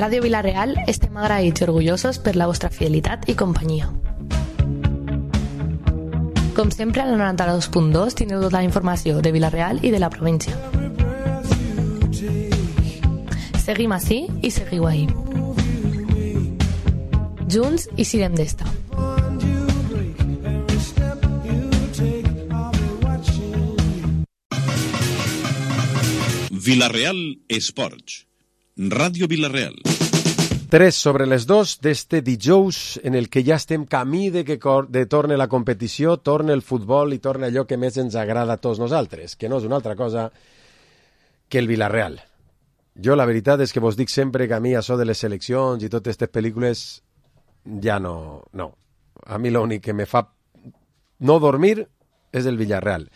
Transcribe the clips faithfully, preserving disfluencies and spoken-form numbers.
Ràdio Vila-real estem agraïts i orgullosos per la vostra fidelitat i companyia. Com sempre, al noranta-dos punt dos tindreu tota la informació de Vila-real i de la província. Seguim ací i seguiu ahí. Junts i sirem d'esta. Vila-real Esports. Ràdio Vila-real. Tres sobre les dos d'este dijous en el que ja estem camí de que de torne la competició, torne el futbol i torne allò que més ens agrada a tots nosaltres, que no és una altra cosa que el Vila-real. Jo la veritat és que vos dic sempre que a mi això de les seleccions i totes aquestes pel·lícules ja no, no. A mi l'únic que me fa no dormir és el Villarreal.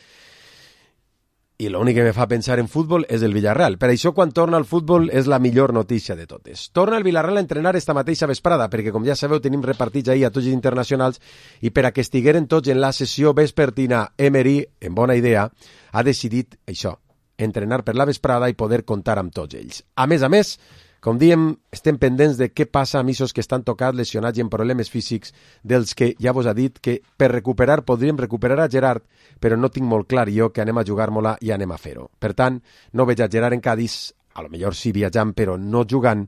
I l'únic que me fa pensar en futbol és el Villarreal. Per això, quan torna al futbol, és la millor notícia de totes. Torna el Villarreal a entrenar esta mateixa vesprada, perquè, com ja sabeu, tenim repartits ahir a tots els internacionals, i per a que estigueren tots en la sessió vespertina, Emery, en bona idea, ha decidit això, entrenar per la vesprada i poder comptar amb tots ells. A més a més, com diem, estem pendents de què passa amb aquests que estan tocats, lesionats i en problemes físics, dels que ja vos ha dit que per recuperar podríem recuperar a Gerard, però no tinc molt clar jo que anem a jugar-me-la i anem a fer-ho. Per tant, no veig a Gerard en Cádiz, a lo millor sí viatjant però no jugant,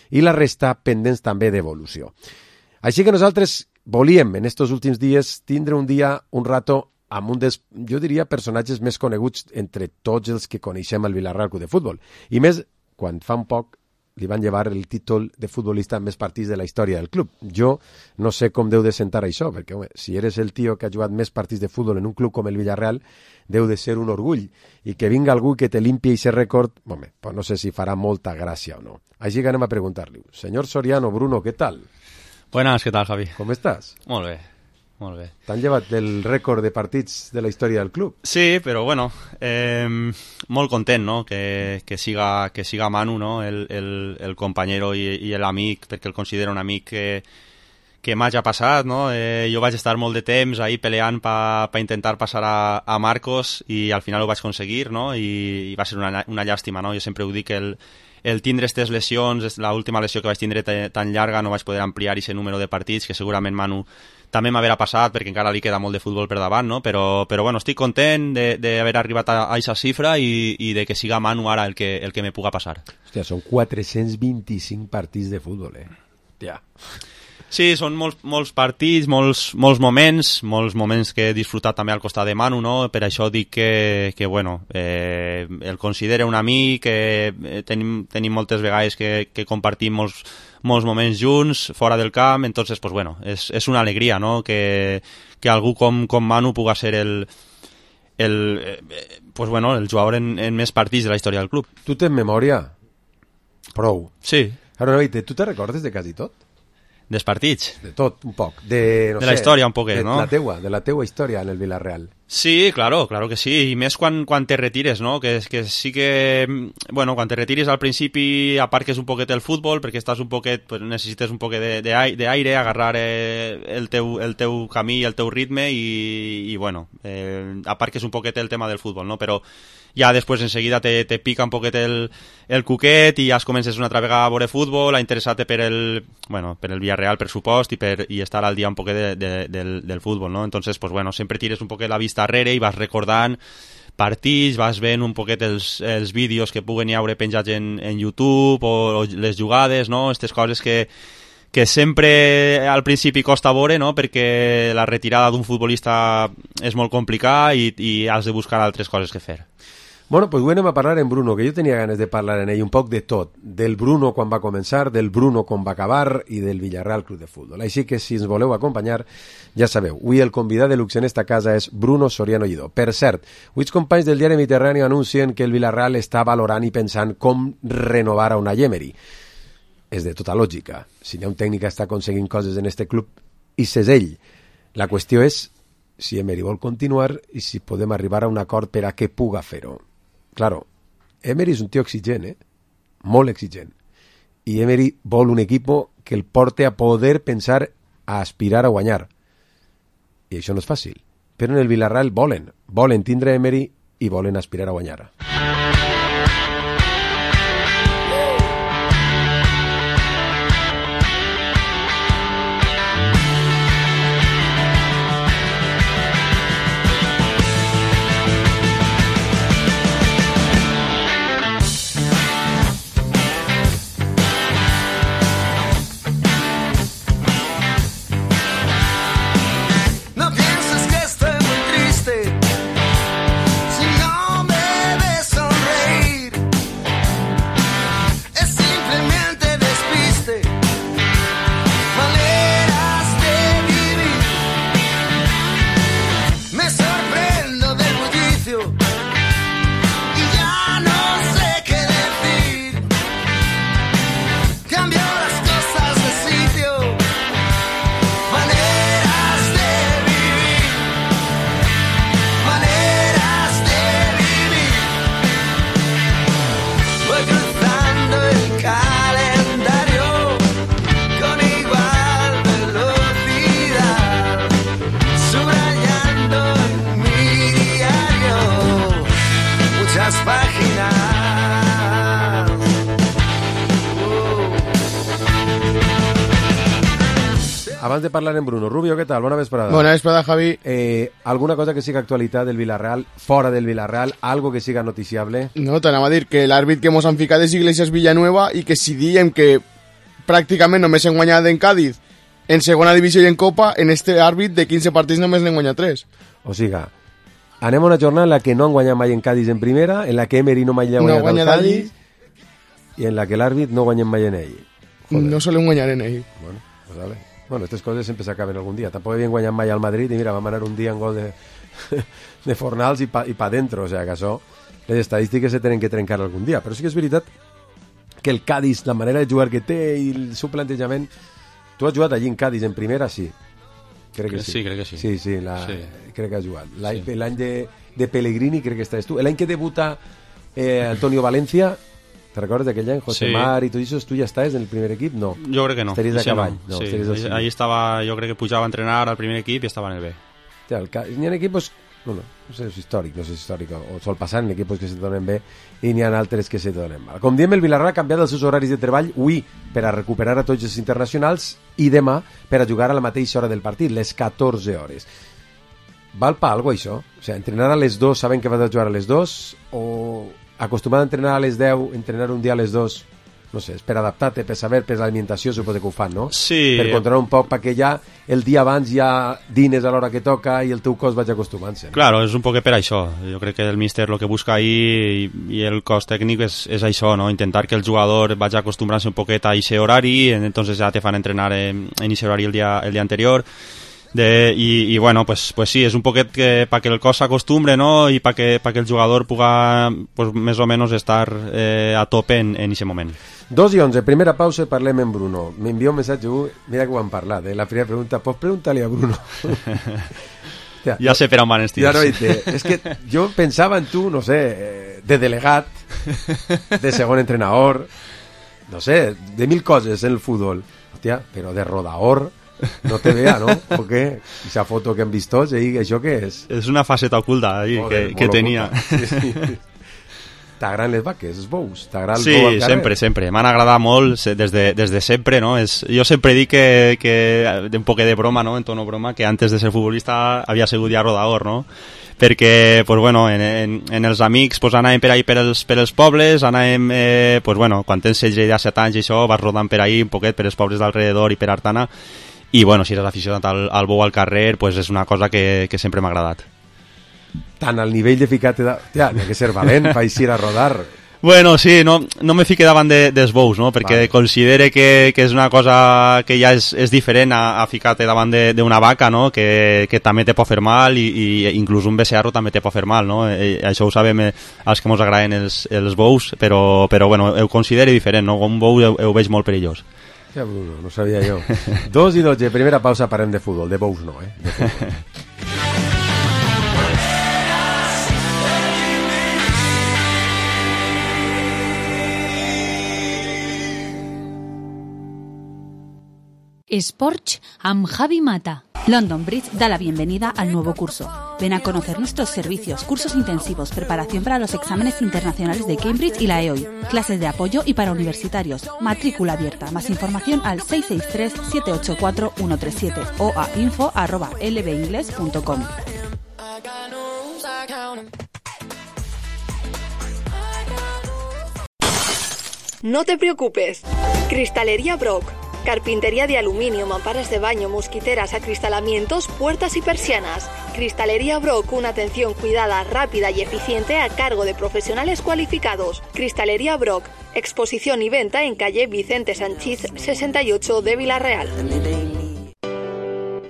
i la resta pendents també d'evolució. Així que nosaltres volíem en estos últims dies tindre un dia, un rato, amb un dels, jo diria, personatges més coneguts entre tots els que coneixem el Villarreal Club de Futbol. I més, quan fa un poc li van llevar el títol de futbolista amb més partits de la història del club. Jo no sé com deu de sentar això, perquè home, si eres el tio que ha jugat més partits de futbol en un club com el Villarreal, deu de ser un orgull. I que vinga algú que te limpie aquest rècord, home, pues no sé si farà molta gràcia o no. Així que anem a preguntar-li. Senyor Soriano, Bruno, ¿qué tal? Buenas, ¿qué tal, Javi? Com estàs? Molt bé. Molt bé. T'han llevat el rècord de partits de la història del club? Sí, però bueno, eh, molt content, no?, que, que, siga, que siga Manu, no?, el, el, el companyero i, i l'amic, perquè el considero un amic que, que m'hagi passat, no? Eh, jo vaig estar molt de temps ahí peleant per pa intentar passar a, a Marcos i al final ho vaig aconseguir, no?, i, i va ser una, una llàstima, no? Jo sempre ho dic, que el, el tindre aquestes lesions, l'última lesió que vaig tindre tan llarga, no vaig poder ampliar aquest número de partits, que segurament Manu també m'haverà passat, perquè encara li queda molt de futbol per davant, no? Però, però bueno, estic content d'haver arribat a aquesta xifra i, i de que siga Manu ara el que, el que me puga passar. Hòstia, són quatre-cents vint-i-cinc partits de futbol, eh? Ja. Sí, són molts, molts partits, molts, molts moments, molts moments que he disfrutat també al costat de Manu, no? Per això dic que, que bueno, eh, el considero un amic, que tenim, tenim moltes vegades que, que compartim molts, molts moments junts, fora del camp, entonces, pues bueno, és, és una alegria, no?, que, que algú com, com Manu puga ser el, el, eh, pues bueno, el jugador en, en més partits de la història del club. Tu tens memòria? Prou. Sí. Ara, no, tu te recordes de quasi tot? Dels partits? De tot, un poc. De, no de sé, la història, un poquet, de no? La teua, de la teua història en el Villarreal. Sí, claro, claro que sí, i més quan, quan te retires, no? Que, que sí que, bueno, quan te retires al principi aparques un poquet el futbol, perquè estàs un poquet, pues, necessites un poquet d'aire, agarrar eh, el, teu, el teu camí, el teu ritme, i, i bueno, eh, aparques un poquet el tema del futbol, no? Però ja després enseguida te, te pica un poquet el, el cuquet i ja es comences una altra vegada a veure futbol, a interessar-te per el, bueno, per el Villarreal, per supost, i, per, i estar al dia un poquet de, de, del, del futbol, no? Entonces, pues bueno, sempre tires un poquet la vista darrere i vas recordant partits, vas veient un poquet els, els vídeos que puguen hi haure penjats en, en YouTube o, o les jugades, no? Aquestes coses que, que sempre al principi costa veure, no? Perquè la retirada d'un futbolista és molt complicada i, i has de buscar altres coses que fer. Bueno, pues anem a parlar en Bruno, que jo tenia ganes de parlar en ell un poc de tot, del Bruno quan va començar, del Bruno quan va acabar i del Villarreal Club de Futbol. Així que si ens voleu acompanyar, ja sabeu, avui el convidat de luxe en esta casa és Bruno Soriano Lledó. Per cert, avui els companys del diari Mediterrani anuncien que el Villarreal està valorant i pensant com renovar a Unai Emery. És de tota lògica. Si hi ha un tècnic que està aconseguint coses en este club, i és ell. La qüestió és si Emery vol continuar i si podem arribar a un acord per a què puga fer-ho. Claro, Emery és un tio exigent, eh? Molt exigent. I Emery vol un equipo que el porte a poder pensar a aspirar a guanyar. I això no és fàcil. Però en el Villarreal volen. Volen tindre Emery i volen aspirar a guanyar. abans de parlar en Bruno, Rubio, què tal? Bona vesprada. Bona vesprada, Javi. Eh, alguna cosa que siga actualitat del Villarreal, fora del Villarreal, algo que siga noticiable? No, t'anava a dir que l'àrbit que mos han ficat és Iglesias Villanueva i que si diem que pràcticament només hem guanyat en Cádiz, en segona divisió i en Copa, en este àrbit de quinze partits només n'hem guanyat tres. O siga, anem a una jornada en la que no han guanyat mai en Cádiz en primera, en la que Emery no mai ha guanyat no al guanyat Cádiz i en la que l'àrbit no guanyem mai en ell. Joder. No solem guanyar en ell. Bueno, pues vale. Bueno, estas coses sempre s'acaben algun dia. Tampoc havien guanyat mai al Madrid i mira, vam anar un dia en gol de, de Fornals i pa, i pa dentro, o sea que això, les estadístiques se tenen que trencar algun dia. Però sí que és veritat que el Cádiz, la manera de jugar que té i el seu plantejament... Tu has jugat allí en Cádiz en primera, sí. Crec que sí. Sí, crec que sí. Sí, sí, la, sí. crec que has jugat. L'any Sí. l'any de, de Pellegrini crec que estàs tu. L'any que debuta eh, Antonio Valencia, te recordes d'aquell any? José Sí. Mar i tot això, tu ja estàs en el primer equip? No. Jo crec que no. Estaries de Ese cavall. No. No, Sí, estaries del ahí, civil. ahí estava, jo crec que pujava a entrenar al primer equip i estava en el B. Hòstia, el ca... N'hi ha equipos, bueno, no sé si és històric, no sé si és històric, o sol passar en equipos que se donen bé i n'hi ha altres que se donen mal. Com diem, el Villarreal ha canviat els seus horaris de treball avui per a recuperar a tots els internacionals i demà per a jugar a la mateixa hora del partit, les catorze hores. Val pa algo això? O sigui, entrenar a les dos, saben que vas a jugar a les dos, o acostumat a entrenar a les deu, entrenar un dia a les dos, no sé, és per adaptar-te, per saber, per l'alimentació, suposo que ho fan, no? Sí. Per controlar un poc, perquè ja el dia abans ja dines a l'hora que toca i el teu cos vaig acostumant-se. No? Claro, és un poc per això. Jo crec que el míster el que busca ahí i, i el cos tècnic és, és això, no? Intentar que el jugador vagi acostumbrant-se un poquet a ese horari, entonces ja te fan entrenar en, en ese horari el dia, el dia anterior. De, y, y bueno, pues, pues sí, és un poquet que para que el cos s'acostumbre, ¿no? Y para que, pa que el jugador puga, pues més o menos estar eh, a tope en, en ese moment. Dos i onze, primera pausa i parlem amb Bruno. M'envia un missatge, mira que ho hem parlat, eh? La primera pregunta, pots preguntar-li a Bruno? Ja, ja sé per on van els tirs. Ja no, és que jo pensava en tu, no sé, de delegat, de segon entrenador, no sé, de mil coses en el futbol. Hòstia, però de rodaor no te vea, ¿no? ¿O qué? Esa foto que han vist tots, eh? ¿Això què és? És una faceta oculta ahí, Joder, que, que tenia. Sí, sí. T'agraden les vaques, els bous? T'agrada el sí, bou al carrer? sempre, sempre. M'han agradat molt des de, des de sempre, no? És, jo sempre dic que, que, un poc de broma, no? En tono broma, que antes de ser futbolista havia sigut ja rodador, no? Perquè, pues bueno, en, en, en els amics pues anàvem per ahí per els, per els pobles, anàvem, eh, pues bueno, quan tens setze i set anys i això, vas rodant per ahí un poquet per els pobles d'alrededor i per Artana, i bueno, si eres aficionat al, al bou al carrer, pues és una cosa que, que sempre m'ha agradat. Tant al nivell de ficar-te... De... Ja, n'hi ha que ser valent per eixir a rodar. Bueno, sí, no, no me fique davant de, dels bous, no? Perquè vale. Considere que, que és una cosa que ja és, és diferent a, a ficar-te davant d'una vaca, no? Que, que també te pot fer mal i, i inclús un becerro també te pot fer mal, no? I això ho sabem eh, els que ens agraden els, els bous, però, però bueno, ho considero diferent, no? Un bou ho, ho veig molt perillós. Ja, Bruno, no sabia jo. Dos i dotze, primera pausa, parem de futbol. De bous no, eh? De futbol. Sports amb Javi Mata. London Bridge da la bienvenida al nuevo curso. Ven a conocer nuestros servicios, cursos intensivos, preparación para los exámenes internacionales de Cambridge y la E O I, clases de apoyo y para universitarios, matrícula abierta. Más información al seis seis tres, siete ocho cuatro, uno tres siete o a info arroba l b ingles punto com. No te preocupes. Cristalería Brock. Carpintería de aluminio, mamparas de baño, mosquiteras, acristalamientos, puertas y persianas. Cristalería Brock, una atención cuidada, rápida y eficiente a cargo de profesionales cualificados. Cristalería Brock, exposición y venta en calle Vicente Sanchís sesenta y ocho de Vila-real.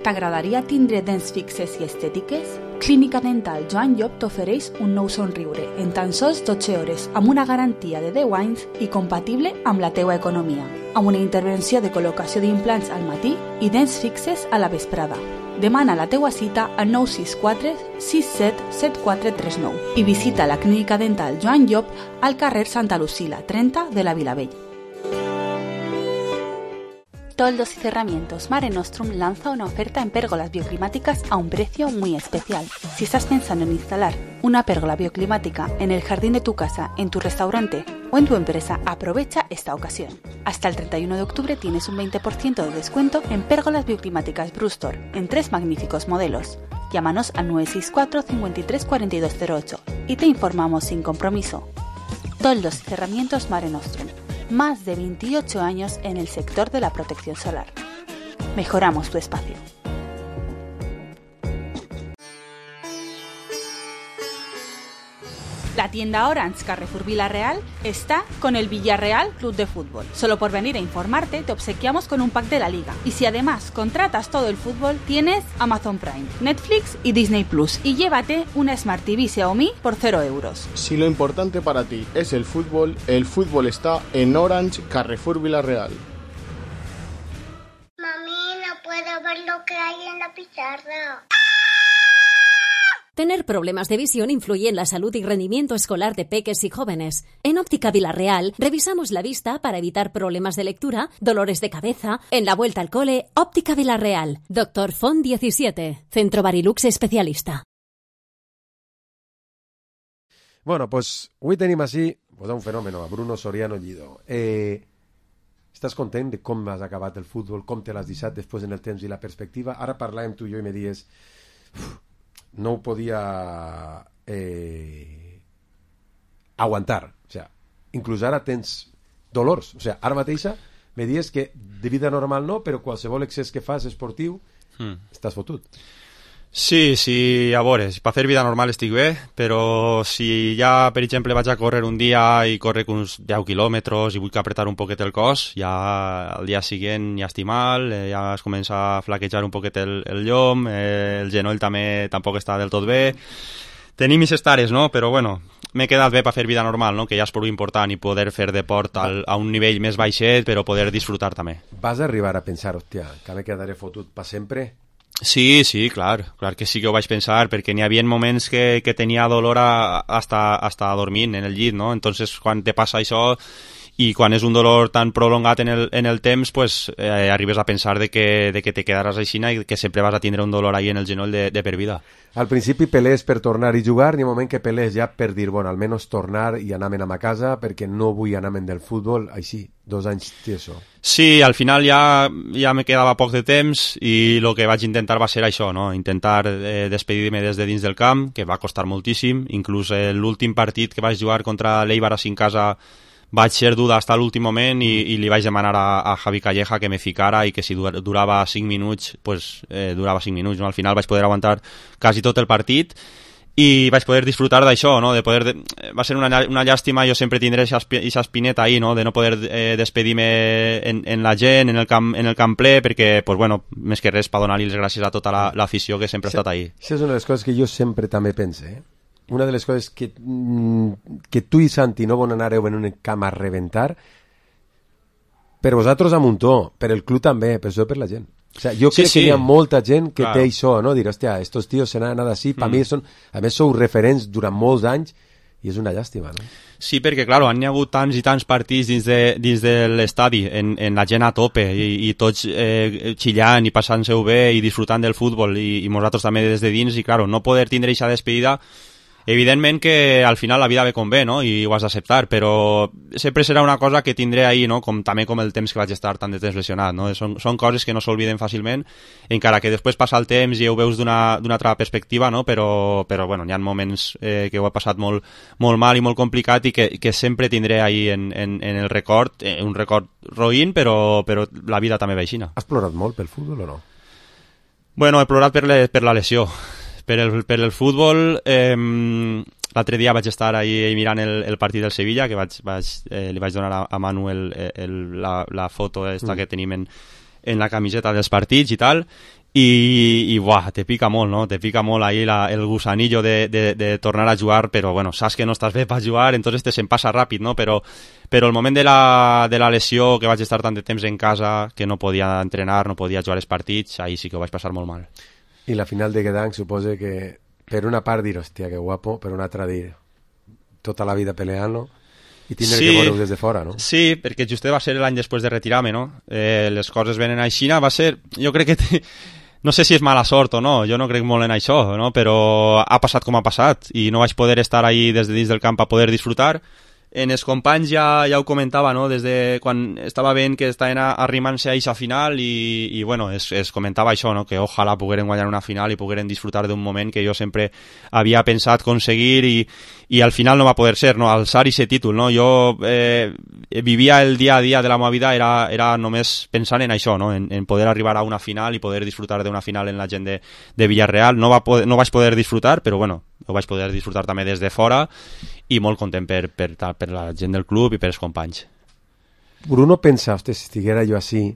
T'agradaria tindre dents fixes i estètiques? Clínica Dental Joan Llop t'ofereix un nou somriure en tan sols dotze hores amb una garantia de deu anys i compatible amb la teua economia, amb una intervenció de col·locació d'implants al matí i dents fixes a la vesprada. Demana la teua cita al nou sis quatre, sis set, set quatre tres nou i visita la Clínica Dental Joan Llop al carrer Santa Lucila, trenta de la Vilavella. Toldos y Cerramientos Mare Nostrum lanza una oferta en pérgolas bioclimáticas a un precio muy especial. Si estás pensando en instalar una pérgola bioclimática en el jardín de tu casa, en tu restaurante o en tu empresa, aprovecha esta ocasión. Hasta el treinta y uno de octubre tienes un veinte por ciento de descuento en pérgolas bioclimáticas Brustor, en tres magníficos modelos. Llámanos al nueve seis cuatro, cincuenta y tres, cuarenta y dos cero ocho y te informamos sin compromiso. Toldos y cerramientos Mare Nostrum. Más de veintiocho años en el sector de la protección solar. Mejoramos tu espacio. La tienda Orange Carrefour Villarreal está con el Villarreal Club de Fútbol. Solo por venir a informarte te obsequiamos con un pack de la liga. Y si además contratas todo el fútbol, tienes Amazon Prime, Netflix y Disney Plus. Y llévate una Smart T V Xiaomi por cero euros. Si lo importante para ti es el fútbol, el fútbol está en Orange Carrefour Villarreal. Mami, no puedo ver lo que hay en la pizarra. Tener problemas de visión influye en la salud y rendimiento escolar de peques y jóvenes. En Óptica Villarreal revisamos la vista para evitar problemas de lectura, dolores de cabeza. En la vuelta al cole, Óptica Villarreal. Doctor Font diecisiete, Centro Barilux especialista. Bueno, pues avui tenim així pues, un fenomen, a Bruno Soriano Llido. Eh, estàs content de com has acabat el futbol, com te l'has deixat després en el temps i la perspectiva? Ara parlàvem tu i jo i me dies... Uf, no ho podia eh, aguantar, o sea, inclús ara tens dolors, o sea, ara mateixa me dius que de vida normal no, però qualsevol excés que fas esportiu mm. estàs fotut. Sí, sí, a veure, per fer vida normal estic bé, però si ja, per exemple, vaig a córrer un dia i córrer uns deu quilòmetres i vull apretar un poquet el cos, ja al dia següent ja estic mal, eh, ja es comença a flaquejar un poquet el, el llom, eh, el genoll també tampoc està del tot bé. Tenim mis estares, no? Però bueno, m'he quedat bé per fer vida normal, no? Que ja és prou important i poder fer deport al, a un nivell més baixet, però poder disfrutar també. Vas arribar a pensar, hòstia, que me quedaré fotut per sempre? Sí, sí, clar, clar que sí que ho vaig pensar, perquè n'hi havia moments que, que tenia dolor a, hasta, hasta dormint en el llit, no? Entonces, quan te passa això i quan és un dolor tan prolongat en el, en el temps, pues eh, arribes a pensar de que, de que te quedaràs aixina i que sempre vas a tindre un dolor ahí en el genoll de, de per vida. Al principi pelees per tornar i jugar, n'hi ha un moment que pelees ja per dir, bueno, almenys tornar i anar-me'n a casa perquè no vull anar-me'n del futbol, així, dos anys tieso. Sí, al final ja, ja me quedava poc de temps i el que vaig intentar va ser això, no? Intentar eh, despedir-me des de dins del camp, que va costar moltíssim, inclús eh, l'últim partit que vaig jugar contra l'Eibar a cinc casa vaig ser dur fins a l'últim moment i, i li vaig demanar a, a Javi Calleja que me ficara i que si durava cinc minuts, pues eh, durava cinc minuts, no? Al final vaig poder aguantar quasi tot el partit i vaig poder disfrutar d'això, no? De poder de... Va ser una, una llàstima, jo sempre tindré aquesta espineta ahí, no? De no poder eh, despedir-me en, en la gent, en el camp, en el camp ple, perquè, pues bueno, més que res per donar-li les gràcies a tota l'afició la, que sempre ha estat ahí. Això és una de les coses que jo sempre també pense, eh? Una de les coses que, que tu i Santi no van anàreu en un camp a reventar, per vosaltres a muntó, per el club també, però això per la gent. O sea, jo crec sí, sí. que hi ha molta gent que claro. té això, no? Dir, hòstia, estos tíos se n'han anat així, per mm. mi són, a més sou referents durant molts anys i és una llàstima, no? Sí, perquè, claro, han hagut tants i tants partits dins de, dins de l'estadi, en, en la gent a tope, i, i tots eh, xillant i passant-se-ho bé i disfrutant del futbol, i, i nosaltres també des de dins, i, claro, no poder tindre aquesta despedida. Evidentment que al final la vida ve com ve, no? I ho has d'acceptar, però sempre serà una cosa que tindré ahí, no? Com, també com el temps que vaig estar tant de temps lesionat, no? Són, són coses que no s'olviden fàcilment, encara que després passa el temps i ho veus d'una altra perspectiva, no? Però, però bueno, hi ha moments eh, que ho he passat molt, molt mal i molt complicat i que, que sempre tindré ahí en, en, en el record, eh, un record roïn, però, però la vida també ve aixina. Has plorat molt pel futbol o no? Bueno, he plorat per, le, per la lesió. Per el, per el futbol, eh, l'altre dia vaig estar ahí mirant el, el partit del Sevilla, que vaig, vaig, eh, li vaig donar a, a Manu el, el, la, la foto esta mm. que tenim en, en la camiseta dels partits i tal, i, i buah, te pica molt, no? Te pica molt ahí la, el gusanillo de, de, de tornar a jugar, però bueno, saps que no estàs bé per jugar, entonces te se'n passa ràpid, no? Però, però el moment de la, de la lesió, que vaig estar tant de temps en casa, que no podia entrenar, no podia jugar els partits, ahí sí que ho vaig passar molt mal. I la final de Gdansk suposa que per una part dir, hòstia, que guapo, per una altra dir tota la vida peleant-lo i tindre sí, que veure-ho des de fora, no? Sí, perquè just va ser l'any després de retirar-me, no? Eh, les coses venen a Xina, va ser... Jo crec que... Te... No sé si és mala sort o no, jo no crec molt en això, no? Però ha passat com ha passat i no vaig poder estar ahí des de dins del camp a poder disfrutar, en els companys ja, ja ho comentava, no? Des de quan estava veient que estaven arrimant-se a aquesta final i, i bueno, es, es comentava això, no? Que ojalà pogueren guanyar una final i pogueren disfrutar d'un moment que jo sempre havia pensat aconseguir i, i al final no va poder ser, no? Alçar aquest títol, no? Jo eh, vivia el dia a dia de la meva vida, era, era només pensant en això, no? En, en poder arribar a una final i poder disfrutar d'una final en la gent de, de Villarreal. No, va poder, no vaig poder disfrutar, però bueno, ho vaig poder disfrutar també des de fora i molt content per, per, per la gent del club i per els companys. Bruno pensa, hosti, si estiguera jo així,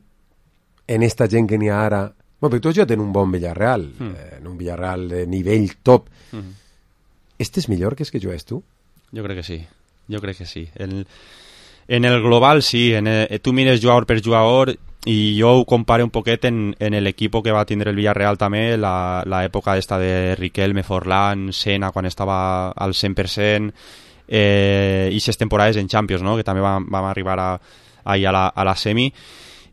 en esta gent que n'hi ha ara... Bueno, perquè tots jo tenen un bon Villarreal, mm. eh, en un Villarreal de nivell top. Mm. Este és millor que és que jugues tu? Jo crec que sí, jo crec que sí. En, en el global sí, en el, tu mires jugador per jugador i jo ho compare un poquet en, en l'equip que va tindre el Villarreal també, l'època esta de Riquelme, Forlán, Sena, quan estava al cent per cent, eh, i ses temporades en Champions, no? Que també vam, vam arribar a, a, a, la, a la semi,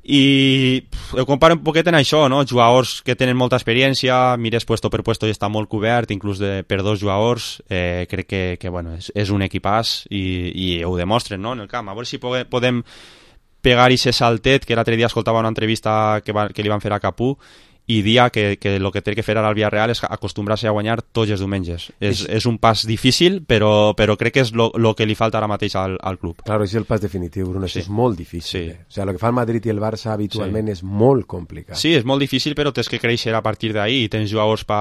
i pff, ho comparo un poquet en això, no? Jugadors que tenen molta experiència, mires puesto per puesto i està molt cobert, inclús de, per dos jugadors, eh, crec que, que bueno, és, és un equipàs i, i ho demostren, no? En el camp, a veure si podem, podem pegar i ser saltet, que l'altre dia escoltava una entrevista que, va, que li van fer a Capú i dia que, que el que té que fer ara al Villarreal és acostumbrar-se a guanyar tots els diumenges. És, és un pas difícil, però, però crec que és el que li falta ara mateix al, al club. Claro, és el pas definitiu, Bruno, sí. És molt difícil. Sí. Eh? O sigui, el que fa el Madrid i el Barça habitualment sí. És molt complicat. Sí, és molt difícil, però tens que créixer a partir d'ahí i tens jugadors per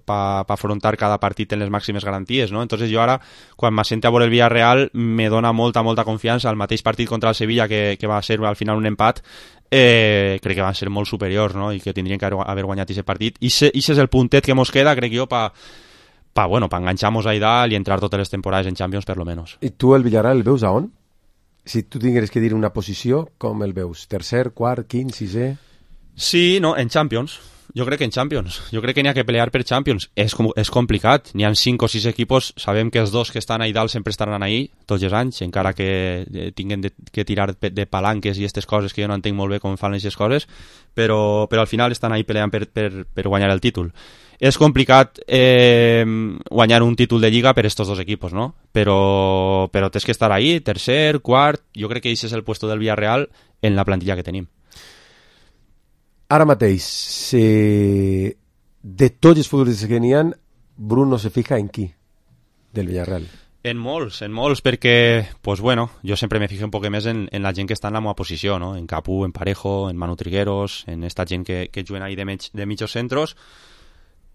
pa, pa afrontar cada partit en les màximes garanties, no? Entonces jo ara, quan m'assente a veure el Villarreal, me dona molta, molta confiança. El mateix partit contra el Sevilla, que, que va ser al final un empat, Eh, crec que van ser molt superiors, no? I que tindrien que haver guanyat aquest partit i aquest és el puntet que mos queda, crec jo, per pa, bueno, pa enganxar-nos a dalt i entrar totes les temporades en Champions, per lo menos. I tu el Villarreal el veus a on? Si tu tingueres que dir una posició, com el veus? Tercer, quart, quint, sisè? Sí, no, en Champions. Jo crec que en Champions. Jo crec que n'hi ha que pelear per Champions. És, com, és complicat. N'hi ha cinc o sis equipos. Sabem que els dos que estan ahí dalt sempre estaran ahí, tots els anys, encara que eh, tinguin de, que tirar de, de palanques i aquestes coses que jo no entenc molt bé com fan aquestes coses, però, però al final estan ahí peleant per, per, per guanyar el títol. És complicat eh, guanyar un títol de Lliga per estos dos equipos, no? Però, però tens que estar ahí, tercer, quart. Jo crec que aquest és el puesto del Villarreal en la plantilla que tenim. Ara mateix, eh, de tots els futbolistes que n'hi ha, Bruno se fija en qui del Villarreal? En molts, en molts, perquè, pues bueno, jo sempre me fijo un poc més en, en la gent que està en la meva posició, no? En Capú, en Parejo, en Manu Trigueros, en esta gent que, que juguen ahí de, mig, de mitjos centros,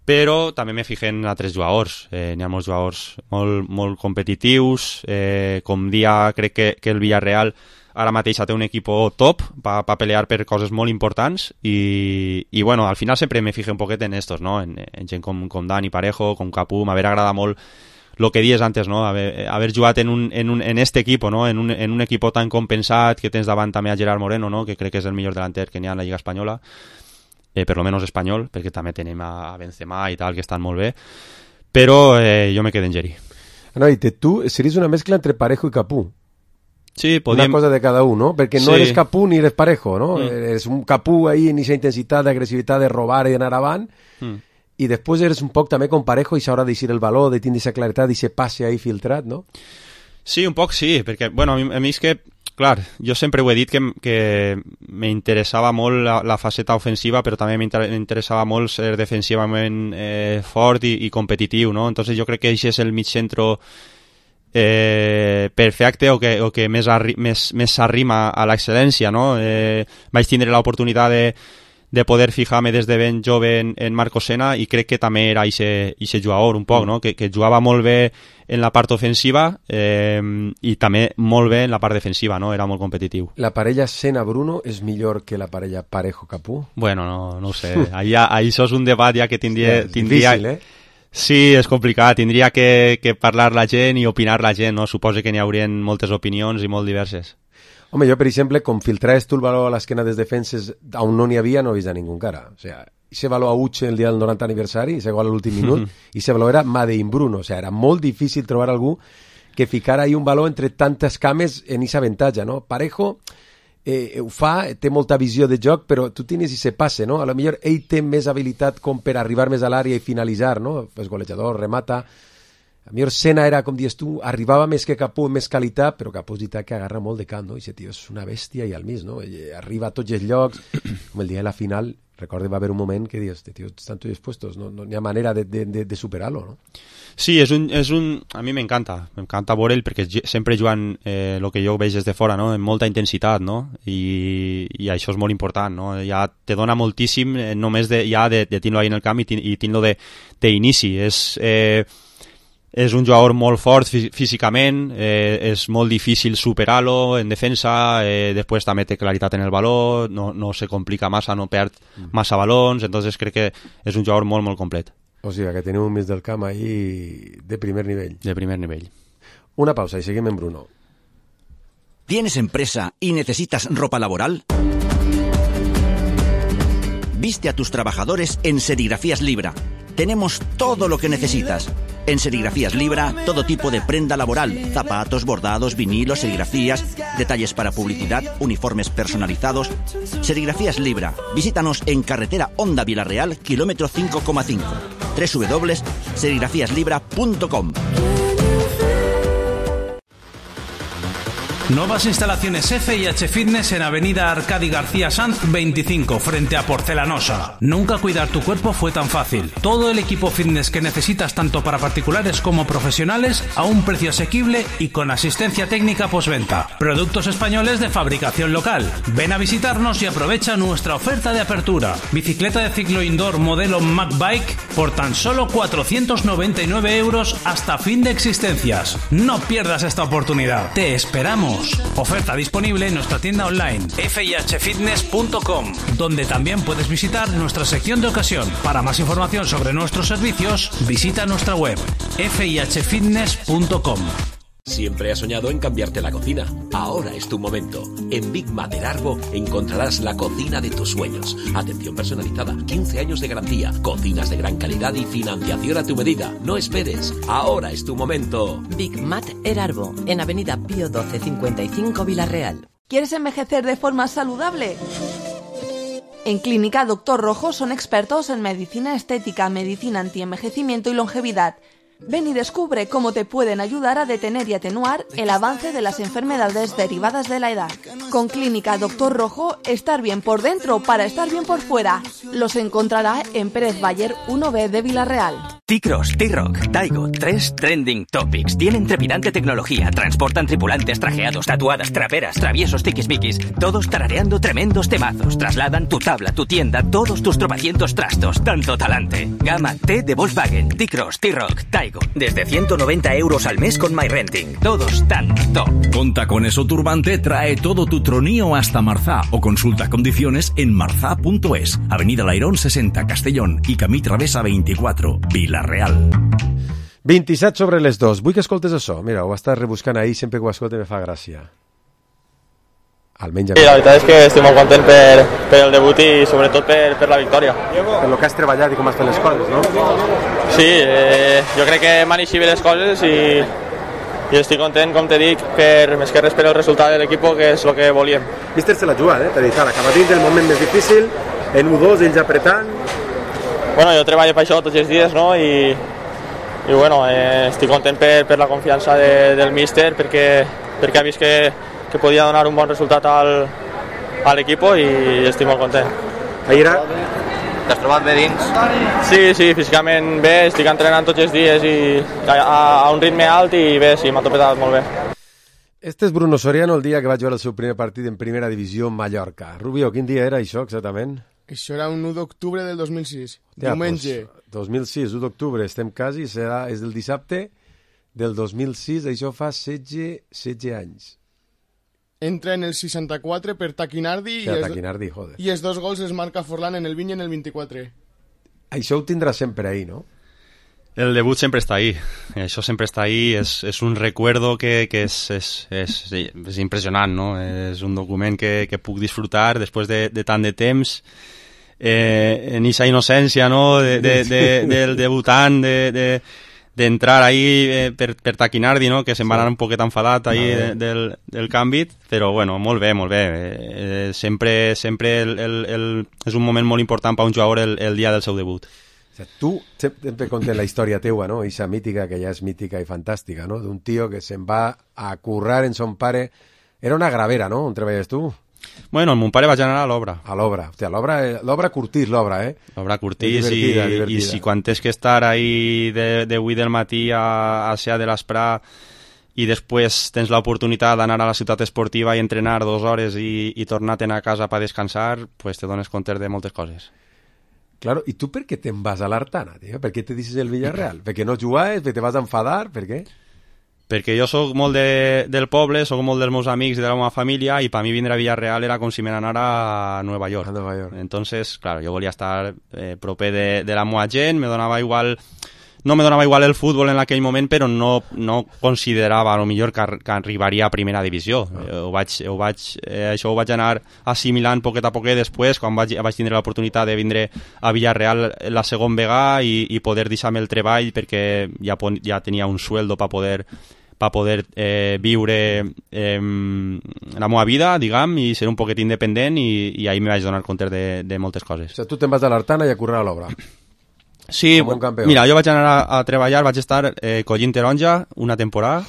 però també me fijo en altres jugadors. Eh, n'hi ha molts jugadors molt, molt competitius, eh, com dia crec que, que el Villarreal ara mateix té un equip top per pa pelear per coses molt importants i, i bueno, al final sempre me fijo un poquet en estos, no? En, en gent com, com Dani Parejo, com Capú. M'haver agradat molt el que dies antes, no? Haver, haver jugat en, un, en, un, en este equipo, no? En un, en un equip tan compensat, que tens davant també a Gerard Moreno, no? Que crec que és el millor delanter que n'hi ha en la Lliga Espanyola, eh, per lo menos espanyol, perquè també tenim a Benzema i tal, que estan molt bé, però eh, jo me quedo en Geri. No, i tu series una mescla entre Parejo i Capú. Sí, podíem... Una cosa de cada uno, perquè no sí. eres Capú ni eres Parejo, no? Mm. Eres un Capú ahí en esa intensitat d'agressivitat de robar i d'anar avant, mm. i després eres un poc també com Parejo i s'haurà d'eixir el valor, de tindre aquesta claretat i ese passe ahí filtrat, no? Sí, un poc sí, perquè, bueno, a mi, a mi és que, clar, jo sempre ho he dit que, que m'interessava molt la, la faceta ofensiva, però també m'interessava molt ser defensivament eh, fort i, i competitiu, no? Entonces jo crec que això és el mig centro Eh, perfecte o que, o que més, arri, més, més s'arrima a l'excel·lència, no? Eh, vaig tindre l'oportunitat de, de poder fijar-me des de ben jove en, en Marco Sena i crec que també era aquest jugador un poc, no? Que, que jugava molt bé en la part ofensiva eh, i també molt bé en la part defensiva, no? Era molt competitiu. La parella Sena-Bruno és millor que la parella Parejo-Capú? Bueno, no, no ho sé. Ahí, ahí això és un debat ja que tindria... Sí, tindria... difícil, eh? Sí, és complicat. Tindria que, que parlar la gent i opinar la gent, no? Suposo que n'hi haurien moltes opinions i molt diverses. Home, jo, per exemple, com filtraves tu el valor a l'esquena dels defenses on no n'hi havia, no he vist a ningú encara. O sigui, ese valor a Uche el dia del noranta aniversari, ese gol a l'últim minut, i ese valor era Madein Bruno. O sigui, era molt difícil trobar algú que ficara ahí un valor entre tantes cames en esa avantatge, no? Parejo eh, ho fa, té molta visió de joc, però tu tens i se passe, no? A lo millor ell té més habilitat com per arribar més a l'àrea i finalitzar, no? És golejador, remata. La millor escena era, com dius tu, arribava més que Capó, més qualitat, però Capó és veritat que agarra molt de camp, no? I aquest tio és una bèstia i al mig, no? I arriba a tots els llocs, com el dia de la final, recordo va haver un moment que dius, tio, estan tots dispuestos, no, no hi ha manera de, de, de, de superar-lo, no? Sí, és un, és un... a mi m'encanta, m'encanta veure'l perquè sempre jugant el eh, que jo veig des de fora, no? Amb molta intensitat, no? I, i això és molt important, no? Ja te dona moltíssim eh, només de, ja de, de tenir-lo ahí en el camp i, i tenir-lo d'inici. És... Eh, és un jugador molt fort fí físicament, eh, és molt difícil superar-lo en defensa, eh, després també té claritat en el valor, no, no se complica massa, no perd massa balons, entonces crec que és un jugador molt, molt complet. O sigui, que tenim un mig del camp ahí de primer nivell. De primer nivell. Una pausa y seguimos en Bruno. ¿Tienes empresa y necesitas ropa laboral? Viste a tus trabajadores en Serigrafías Libra. Tenemos todo lo que necesitas. En Serigrafías Libra, todo tipo de prenda laboral, zapatos, bordados, vinilos, serigrafías, detalles para publicidad, uniformes personalizados. Serigrafías Libra. Visítanos en carretera Honda Vilarreal, kilómetro cinco coma cinco. doble u doble u doble u punto serigrafías libra punto com. Nuevas instalaciones F y H Fitness en Avenida Arcadi García Sanz veinticinco, frente a Porcelanosa. Nunca cuidar tu cuerpo fue tan fácil. Todo el equipo fitness que necesitas tanto para particulares como profesionales a un precio asequible y con asistencia técnica postventa. Productos españoles de fabricación local. Ven a visitarnos y aprovecha nuestra oferta de apertura. Bicicleta de ciclo indoor modelo Mac Bike por tan solo cuatrocientos noventa y nueve euros hasta fin de existencias. No pierdas esta oportunidad. Te esperamos. Oferta disponible en nuestra tienda online f i h fitness punto com, donde también puedes visitar nuestra sección de ocasión. Para más información sobre nuestros servicios, visita nuestra web f i h fitness punto com. Siempre has soñado en cambiarte la cocina. Ahora es tu momento. En Big Mat Erarbo encontrarás la cocina de tus sueños. Atención personalizada, quince años de garantía, cocinas de gran calidad y financiación a tu medida. No esperes. Ahora es tu momento. Big Mat Erarbo, en Avenida Pío doce cincuenta y cinco Vilarreal. ¿Quieres envejecer de forma saludable? En Clínica Doctor Rojo son expertos en medicina estética, medicina antienvejecimiento y longevidad. Ven y descubre cómo te pueden ayudar a detener y atenuar el avance de las enfermedades derivadas de la edad. Con Clínica Doctor Rojo, estar bien por dentro para estar bien por fuera. Los encontrará en Pérez Bayer uno B de Vilarreal. T-Cross, T-Rock, Taigo, tres Trending Topics. Tienen trepidante tecnología, transportan tripulantes trajeados, tatuadas, traperas, traviesos, tiquismiquis, todos tarareando tremendos temazos. Trasladan tu tabla, tu tienda, todos tus tropecientos trastos, tanto talante. Gama T de Volkswagen, T-Cross, T-Rock, Taigo. Desde ciento noventa euros al mes con MyRenting. Todos tan top. Conta con eso Turbante, trae todo tu tronío hasta Marzá o consulta condiciones en marzá punto es. Avenida Lairón sesenta, Castellón i Camí Travessa veinticuatro, Vilarreal. vint-i-set sobre les dos. Vull que escoltes això. Mira, ho estàs rebuscant ahir, sempre que ho escoltes me fa gràcia. Almenys a mi. Sí, la veritat és que estic molt content per, per el debut i sobretot per, per la victòria. Per el que has treballat i com has fet les coses, no? Sí, eh, jo crec que m'han eixit bé les coses i, i estic content, com te dic, per més que res per el resultat de l'equip, que és el que volíem. Míster se l'ha jugat, eh? T'ha dit, ara, acaba dins del moment més difícil, en u dos, ells apretant. Bueno, jo treballo per això tots els dies, no? I, i bueno, eh, estic content per, per la confiança de, del míster, perquè, perquè ha vist que que podia donar un bon resultat al, a l'equip i estic molt content. Ahir t'has trobat bé dins? Sí, sí, físicament bé, estic entrenant tots els dies i a, a un ritme alt i bé, sí, m'ha topetat molt bé. Este és Bruno Soriano el dia que va jugar el seu primer partit en primera divisió en Mallorca. Rubio, quin dia era això exactament? Això era un u d'octubre del dos mil sis, ja, diumenge. Pues, dos mil sis, u d'octubre, estem quasi, serà, és del dissabte del dos mil sis, això fa setze, setze anys. Entra en el seixanta-quatre per Taquinardi, sí, i, Taquinardi joder. i els dos gols es marca Forlán en el vint i en el vint-i-quatre. Això ho tindrà sempre ahí, no? El debut sempre està ahí, això sempre està ahí, és, és un recuerdo que, que és, és, és, és impressionant, no? És un document que, que puc disfrutar després de, de tant de temps, eh, en aquesta innocència, no? De, de, de, del debutant, de... de d'entrar ahí eh, per, per Taquinardi, no? Que se'n va anar un poquet enfadat ahí de, del, del canvi, però bueno, molt bé, molt bé. Eh, sempre sempre el, el, el, és un moment molt important per un jugador el, el dia del seu debut. O sea, tu sempre contes la història teua, no? Eixa mítica, que ja és mítica i fantàstica, no? D'un tio que se'n va a currar en son pare. Era una gravera, no? On treballes tu? Bueno, el mon pare vaig anar a l'obra. A l'obra. Hòstia, l'obra, l'obra curtís, l'obra, eh? L'obra curtís divertida, i, divertida. i si quan tens que estar ahí de, de vuit del matí a, a set de l'esprà i després tens l'oportunitat d'anar a la ciutat esportiva i entrenar dues hores i, i tornar-te'n a casa per descansar, pues te dones compte de moltes coses. Claro, i tu per què te'n vas a l'Artana, tio? Per què te dices el Villarreal? Perquè no jugaves? Perquè te vas a enfadar? Per què? Perquè jo sóc molt de, del poble, sóc molt dels meus amics i de la meva família i per mi vindre a Villarreal era com si me n'anara a Nueva York. A Nueva York. Entonces, claro, jo volia estar eh, proper de, de la meva gent, me donava igual... No me donava igual el futbol en aquell moment, però no, no considerava a lo millor que, que arribaria a primera divisió. Ah. Eh, ho vaig, ho vaig, eh, això ho vaig anar assimilant poquet a poquet després, quan vaig, vaig tindre l'oportunitat de vindre a Villarreal la segon vegada i, i poder deixar-me el treball perquè ja, ja tenia un sueldo per poder per poder eh, viure eh, la meva vida, diguem, i ser un poquet independent i, i ahir me vaig donar compte de, de moltes coses. O sigui, tu te'n vas a l'Artana i a currar a l'obra. Sí, mira, jo vaig anar a, a treballar, vaig estar eh, collint taronja una temporada,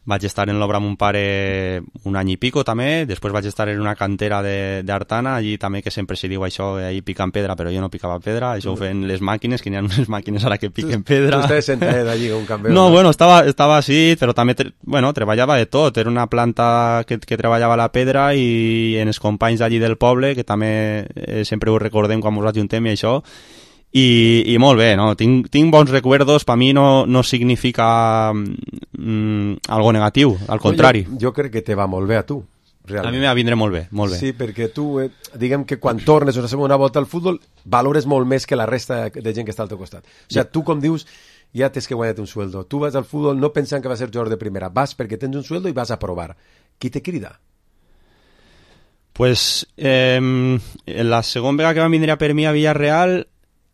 vaig estar en l'obra amb un pare un any i pico també, després vaig estar en una cantera d'Artana, allí també que sempre se diu això, ahí pican pedra, però jo no picava pedra, això ho feien les màquines, que n'hi ha unes màquines ara que piquen pedra. Tu estaves sentat allí com un campió. No, bueno, estava, estava així, però també, bueno, treballava de tot, era una planta que, que treballava la pedra i en els companys d'allí del poble, que també eh, sempre ho recordem quan ens ajuntem i això, I, i molt bé, no? Tinc, tinc bons recuerdos, per mi no, no significa mm, algo negatiu, al contrari. No, jo, jo crec que te va molt bé a tu, realment. A mi me va vindre molt bé, molt bé. Sí, perquè tu, eh, diguem que quan tornes una segona volta al futbol, valores molt més que la resta de gent que està al teu costat. O sigui, tu, com dius, ja tens que guanyar un sueldo. Tu vas al futbol no pensant que vas ser jugador de primera, vas perquè tens un sueldo i vas a provar. Qui te crida? Pues eh, la segona vegada que van vindre per mi a Villarreal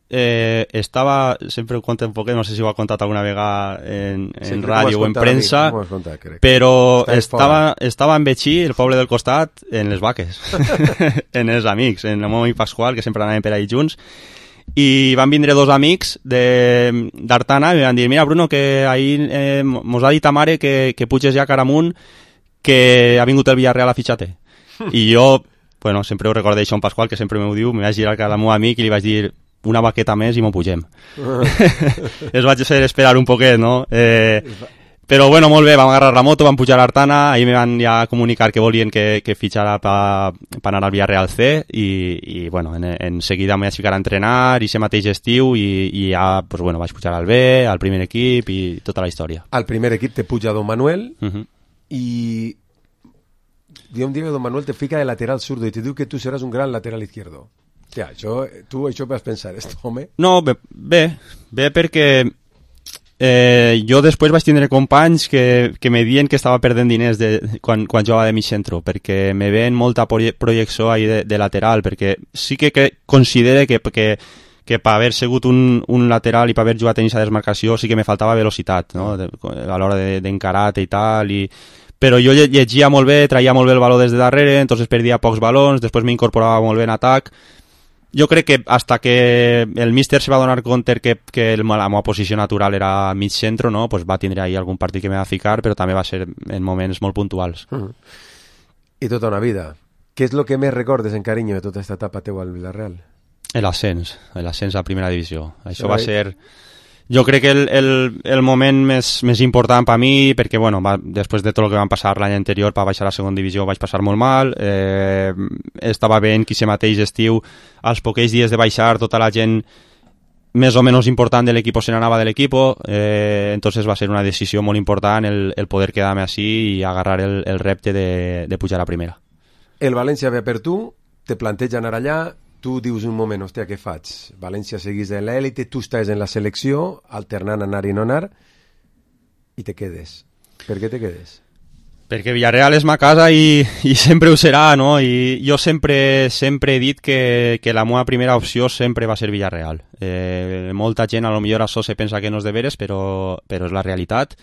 Eh, estava, sempre ho conto un poquet, no sé si ho ha contat alguna vegada en, en ràdio o en premsa, contat, però estava, estava en Betxí, el poble del costat, en les vaques, en els amics, en el meu amic Pasqual, que sempre anàvem per ahí junts, i van vindre dos amics d'Artana i van dir, mira Bruno, que ahir eh, mos ha dit a mare que, que puges ja cara amunt, que ha vingut el Villarreal a fitxar-te. I jo, bueno, sempre ho recordé això en Pasqual, que sempre m'ho diu, me vaig girar cara al meu amic i li vaig dir una baqueta més i m'ho pugem. Es vaig fer esperar un poquet, no? Eh, però bueno, molt bé, vam agarrar la moto, vam pujar a l'Artana, ahir me van ja comunicar que volien que, que fitxara per pa anar al Villarreal C i, i bueno, en, en seguida m'he ficar a entrenar i ser mateix estiu i, i ja, pues bueno, vaig pujar al B, al primer equip i tota la història. Al primer equip te puja Don Manuel uh -huh. i un dia que Don Manuel te fica de lateral zurdo i te diu que tu seràs un gran lateral izquierdo. Ja, això, tu això vas pensar, esto, home? No, bé, bé, bé perquè eh, jo després vaig tindre companys que, que me diuen que estava perdent diners de, quan, quan jugava de mig centro, perquè me ven molta projecció ahí de, de lateral, perquè sí que, que considere que, que, que per haver sigut un, un lateral i per haver jugat en aquesta desmarcació sí que me faltava velocitat, no? De, a l'hora d'encarar-te i tal, i però jo llegia molt bé, traia molt bé el baló des de darrere, entonces perdia pocs balons, després m'incorporava molt bé en atac. Jo crec que hasta que el míster se va donar compte que, que el, la meva posició natural era mig centro, no? Pues va tindre ahí algun partit que me va ficar, però també va ser en moments molt puntuals. Mm. I tota una vida. Què és el que més recordes en carinyo de tota aquesta etapa teua al Villarreal? L'ascens, l'ascens a primera divisió. Això sí, va ser... Jo crec que el, el, el moment més, més important per mi, perquè bueno, va, després de tot el que van passar l'any anterior per baixar a la segona divisió vaig passar molt mal, eh, estava veient que aquest mateix estiu, als poquets dies de baixar, tota la gent més o menys important de l'equip se n'anava de l'equip, eh, entonces va ser una decisió molt important el, el poder quedar-me així i agarrar el, el repte de, de pujar a primera. El València ve per tu, te planteja anar allà, tu dius un moment, hòstia, què faig? València seguís en l'èlite, tu estàs en la selecció, alternant anar i no anar, i te quedes. Per què te quedes? Perquè Villarreal és ma casa i, i sempre ho serà, no? I jo sempre, sempre he dit que, que la meva primera opció sempre va ser Villarreal. Eh, molta gent, a lo millor això se pensa que no és de veres, però, però és la realitat.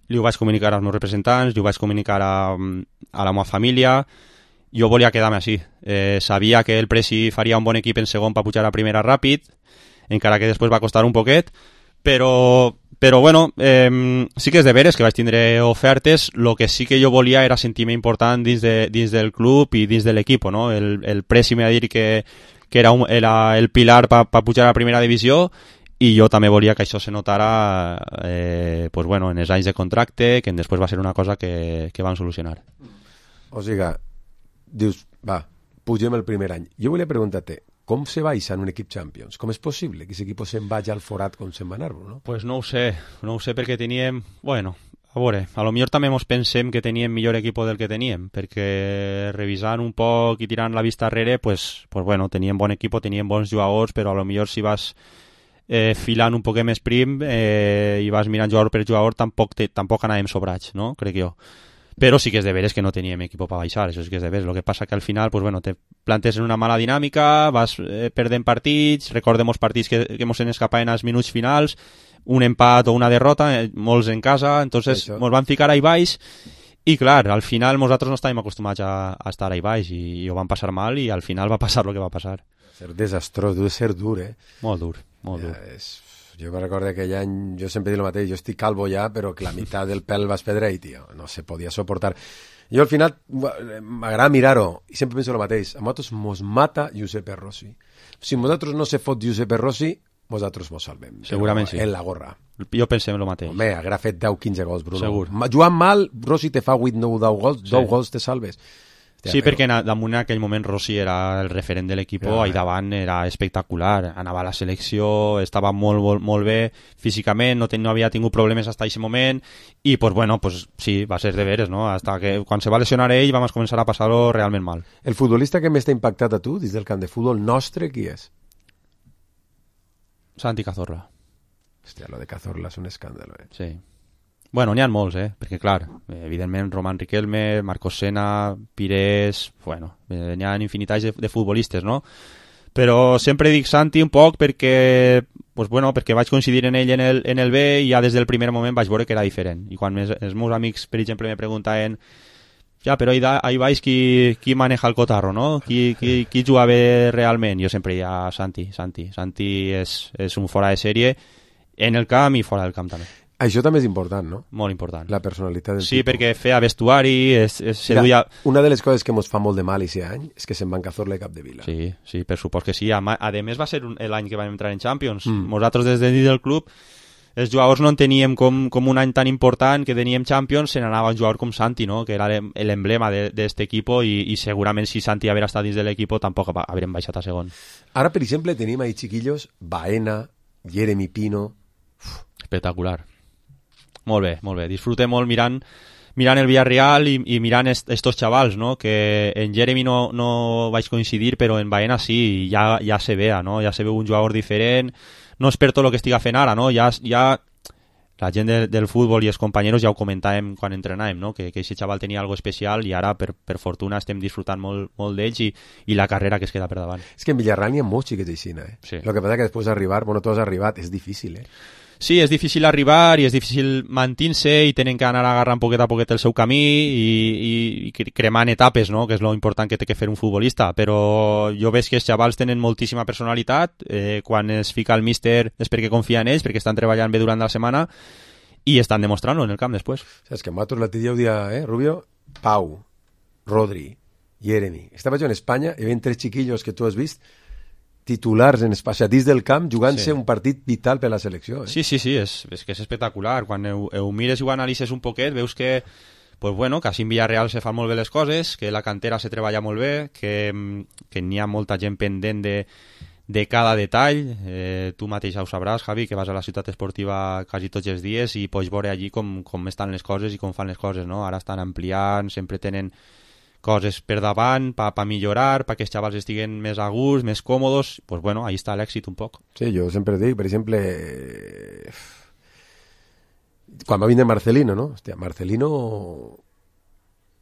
Li ho vaig comunicar als meus representants, li ho vaig comunicar a, a la meva família. Jo volia quedar-me així. Eh, sabia que el Presi faria un bon equip en segon per pujar a primera ràpid. encara que després va costar un poquet, però, però bueno, eh, sí que és de veres que vaig tindre ofertes. Lo que sí que jo volia era sentir-me important dins, de, dins del club i dins de l'equip, no? El, el Presi m'ha dit que, que era, un, era el pilar per pa pujar a la primera divisió, i jo també volia que això se notara eh, pues bueno, en els anys de contracte, que després va ser una cosa que, que van solucionar. O sigui, dius, va, pugem el primer any. Jo volia preguntar-te, com se baixa en un equip Champions? Com és possible que aquest equip se'n vagi al forat com se'n va anar, no? Pues no ho sé, no ho sé perquè teníem, bueno, a veure, a lo millor també ens pensem que teníem millor equip del que teníem, perquè revisant un poc i tirant la vista arrere, pues, pues bueno, teníem bon equip, teníem bons jugadors, però a lo millor si vas eh, filant un poquet més prim eh, i vas mirant jugador per jugador, tampoc, te, tampoc anàvem sobrats, no? Crec jo. Però sí que és de veres que no teníem equip per baixar, això sí que és de veres. El que passa que al final, pues bueno, te plantes en una mala dinàmica, vas eh, perdent partits, recordem els partits que, que ens escapaven als minuts finals, un empat o una derrota, eh, molts en casa, entonces ens van ficar ahí baix, i clar, al final nosaltres no estàvem acostumats a, a estar ahí baix, i, i ho van passar mal, i al final va passar el que va passar. Ser desastrós, deu ser dur, eh? Molt dur, molt ja, dur. És... Jo me recordo aquell any, jo sempre dic el mateix, jo estic calvo ja, però que la meitat del pèl va espedrer i, tio, no se podia soportar. Jo al final m'agrada mirar-ho i sempre penso el mateix, a nosaltres mos mata Giuseppe Rossi. Si nosaltres no se fot Giuseppe Rossi, nosaltres mos salvem. Segurament sí. En la gorra. Jo pensem el mateix. Home, haurà fet deu quinze gols, Bruno. Segur. Jugant mal, Rossi te fa vuit nou deu gols, sí. deu gols te salves. Hòstia, sí, però... perquè damunt en aquell moment Rossi era el referent de l'equip, ja, i davant era espectacular, anava a la selecció, estava molt, molt, molt bé físicament, no, ten, no havia tingut problemes fins a aquest moment, i pues bueno, pues sí, va ser de veres, no? Hasta que quan se va lesionar ell vam començar a passar-ho realment mal. El futbolista que més t'ha impactat a tu dins del camp de futbol nostre, qui és? Santi Cazorla. Hòstia, lo de Cazorla és un escàndalo, eh? Sí. Bueno, n'hi ha molts, eh? Perquè, clar, evidentment, Roman Riquelme, Marcos Sena, Pires... Bueno, n'hi ha infinitats de, de futbolistes, no? Però sempre dic Santi un poc perquè, pues, bueno, perquè vaig coincidir en ell en el, en el B i ja des del primer moment vaig veure que era diferent. I quan mes, els meus amics, per exemple, me preguntaven ja, però ahí, ahí vais qui, qui maneja el cotarro, no? Qui, qui, qui juga bé realment? Jo sempre diia Santi, Santi. Santi és, és un fora de sèrie en el camp i fora del camp també. Això també és important, no? Molt important. La personalitat del sí, tipus. perquè feia vestuari, es, es seduïa... Una de les coses que ens fa molt de mal aquest any és que se'n van Cazorla i Capdevila. Sí, sí, per supòs que sí. A, a més va ser l'any que vam entrar en Champions. Mm. Nosaltres des de dins del club, els jugadors no en teníem com, com un any tan important que teníem Champions, se n'anava un jugador com Santi, no? Que era l'emblema d'aquest equip, i, i segurament si Santi hagués estat dins de l'equip tampoc haurem baixat a segon. Ara, per exemple, tenim ahí chiquillos, Baena, Jeremy Pino... Uf. Espectacular. Molt bé, molt bé. Disfruté molt mirant, mirant el Villarreal i, i mirant est, estos xavals, no? Que en Jeremy no, no vaig coincidir, però en Baena sí, ja, ja se vea, no? Ja se veu un jugador diferent. No és per tot el que estiga fent ara, no? Ja, ja la gent de, del futbol i els companys ja ho comentàvem quan entrenàvem, no? Que, que aquest xaval tenia algo especial i ara, per, per fortuna, estem disfrutant molt, molt d'ells i, i la carrera que es queda per davant. És que en Villarreal n'hi ha molts xiquets aixina, eh? Sí. El que passa que després d'arribar, bueno, tu has arribat, és difícil, eh? Sí, és difícil arribar i és difícil mantenir-se i tenen que anar agarrant poquet a poquet el seu camí i, i, i cremant etapes, no? Que és lo important que té que fer un futbolista, però jo veig que els xavals tenen moltíssima personalitat, eh, quan es fica el míster és perquè confia en ells, perquè estan treballant bé durant la setmana i estan demostrant-ho en el camp després. Saps que nosaltres l'altre dia ho dia, eh, Rubio? Pau, Rodri, Jeremy. Estava jo en Espanya i hi havia tres xiquillos que tu has vist titulars en espaciatís del camp jugant-se sí. un partit vital per la selecció. Eh? Sí, sí, sí, és, és que és espectacular. Quan ho, ho mires i ho analitzes un poquet, veus que, pues bueno, que així en Villarreal se fan molt bé les coses, que la cantera se treballa molt bé, que, que n'hi ha molta gent pendent de, de cada detall. Eh, tu mateix ho sabràs, Javi, que vas a la ciutat esportiva quasi tots els dies i pots veure allí com, com estan les coses i com fan les coses, no? Ara estan ampliant, sempre tenen coses per davant, per pa millorar, perquè els xavals estiguen més a gust, més còmodes, pues bueno, ahí està l'èxit un poc. Sí, jo sempre dic, per exemple, quan va vindre Marcelino, no? Hòstia, Marcelino,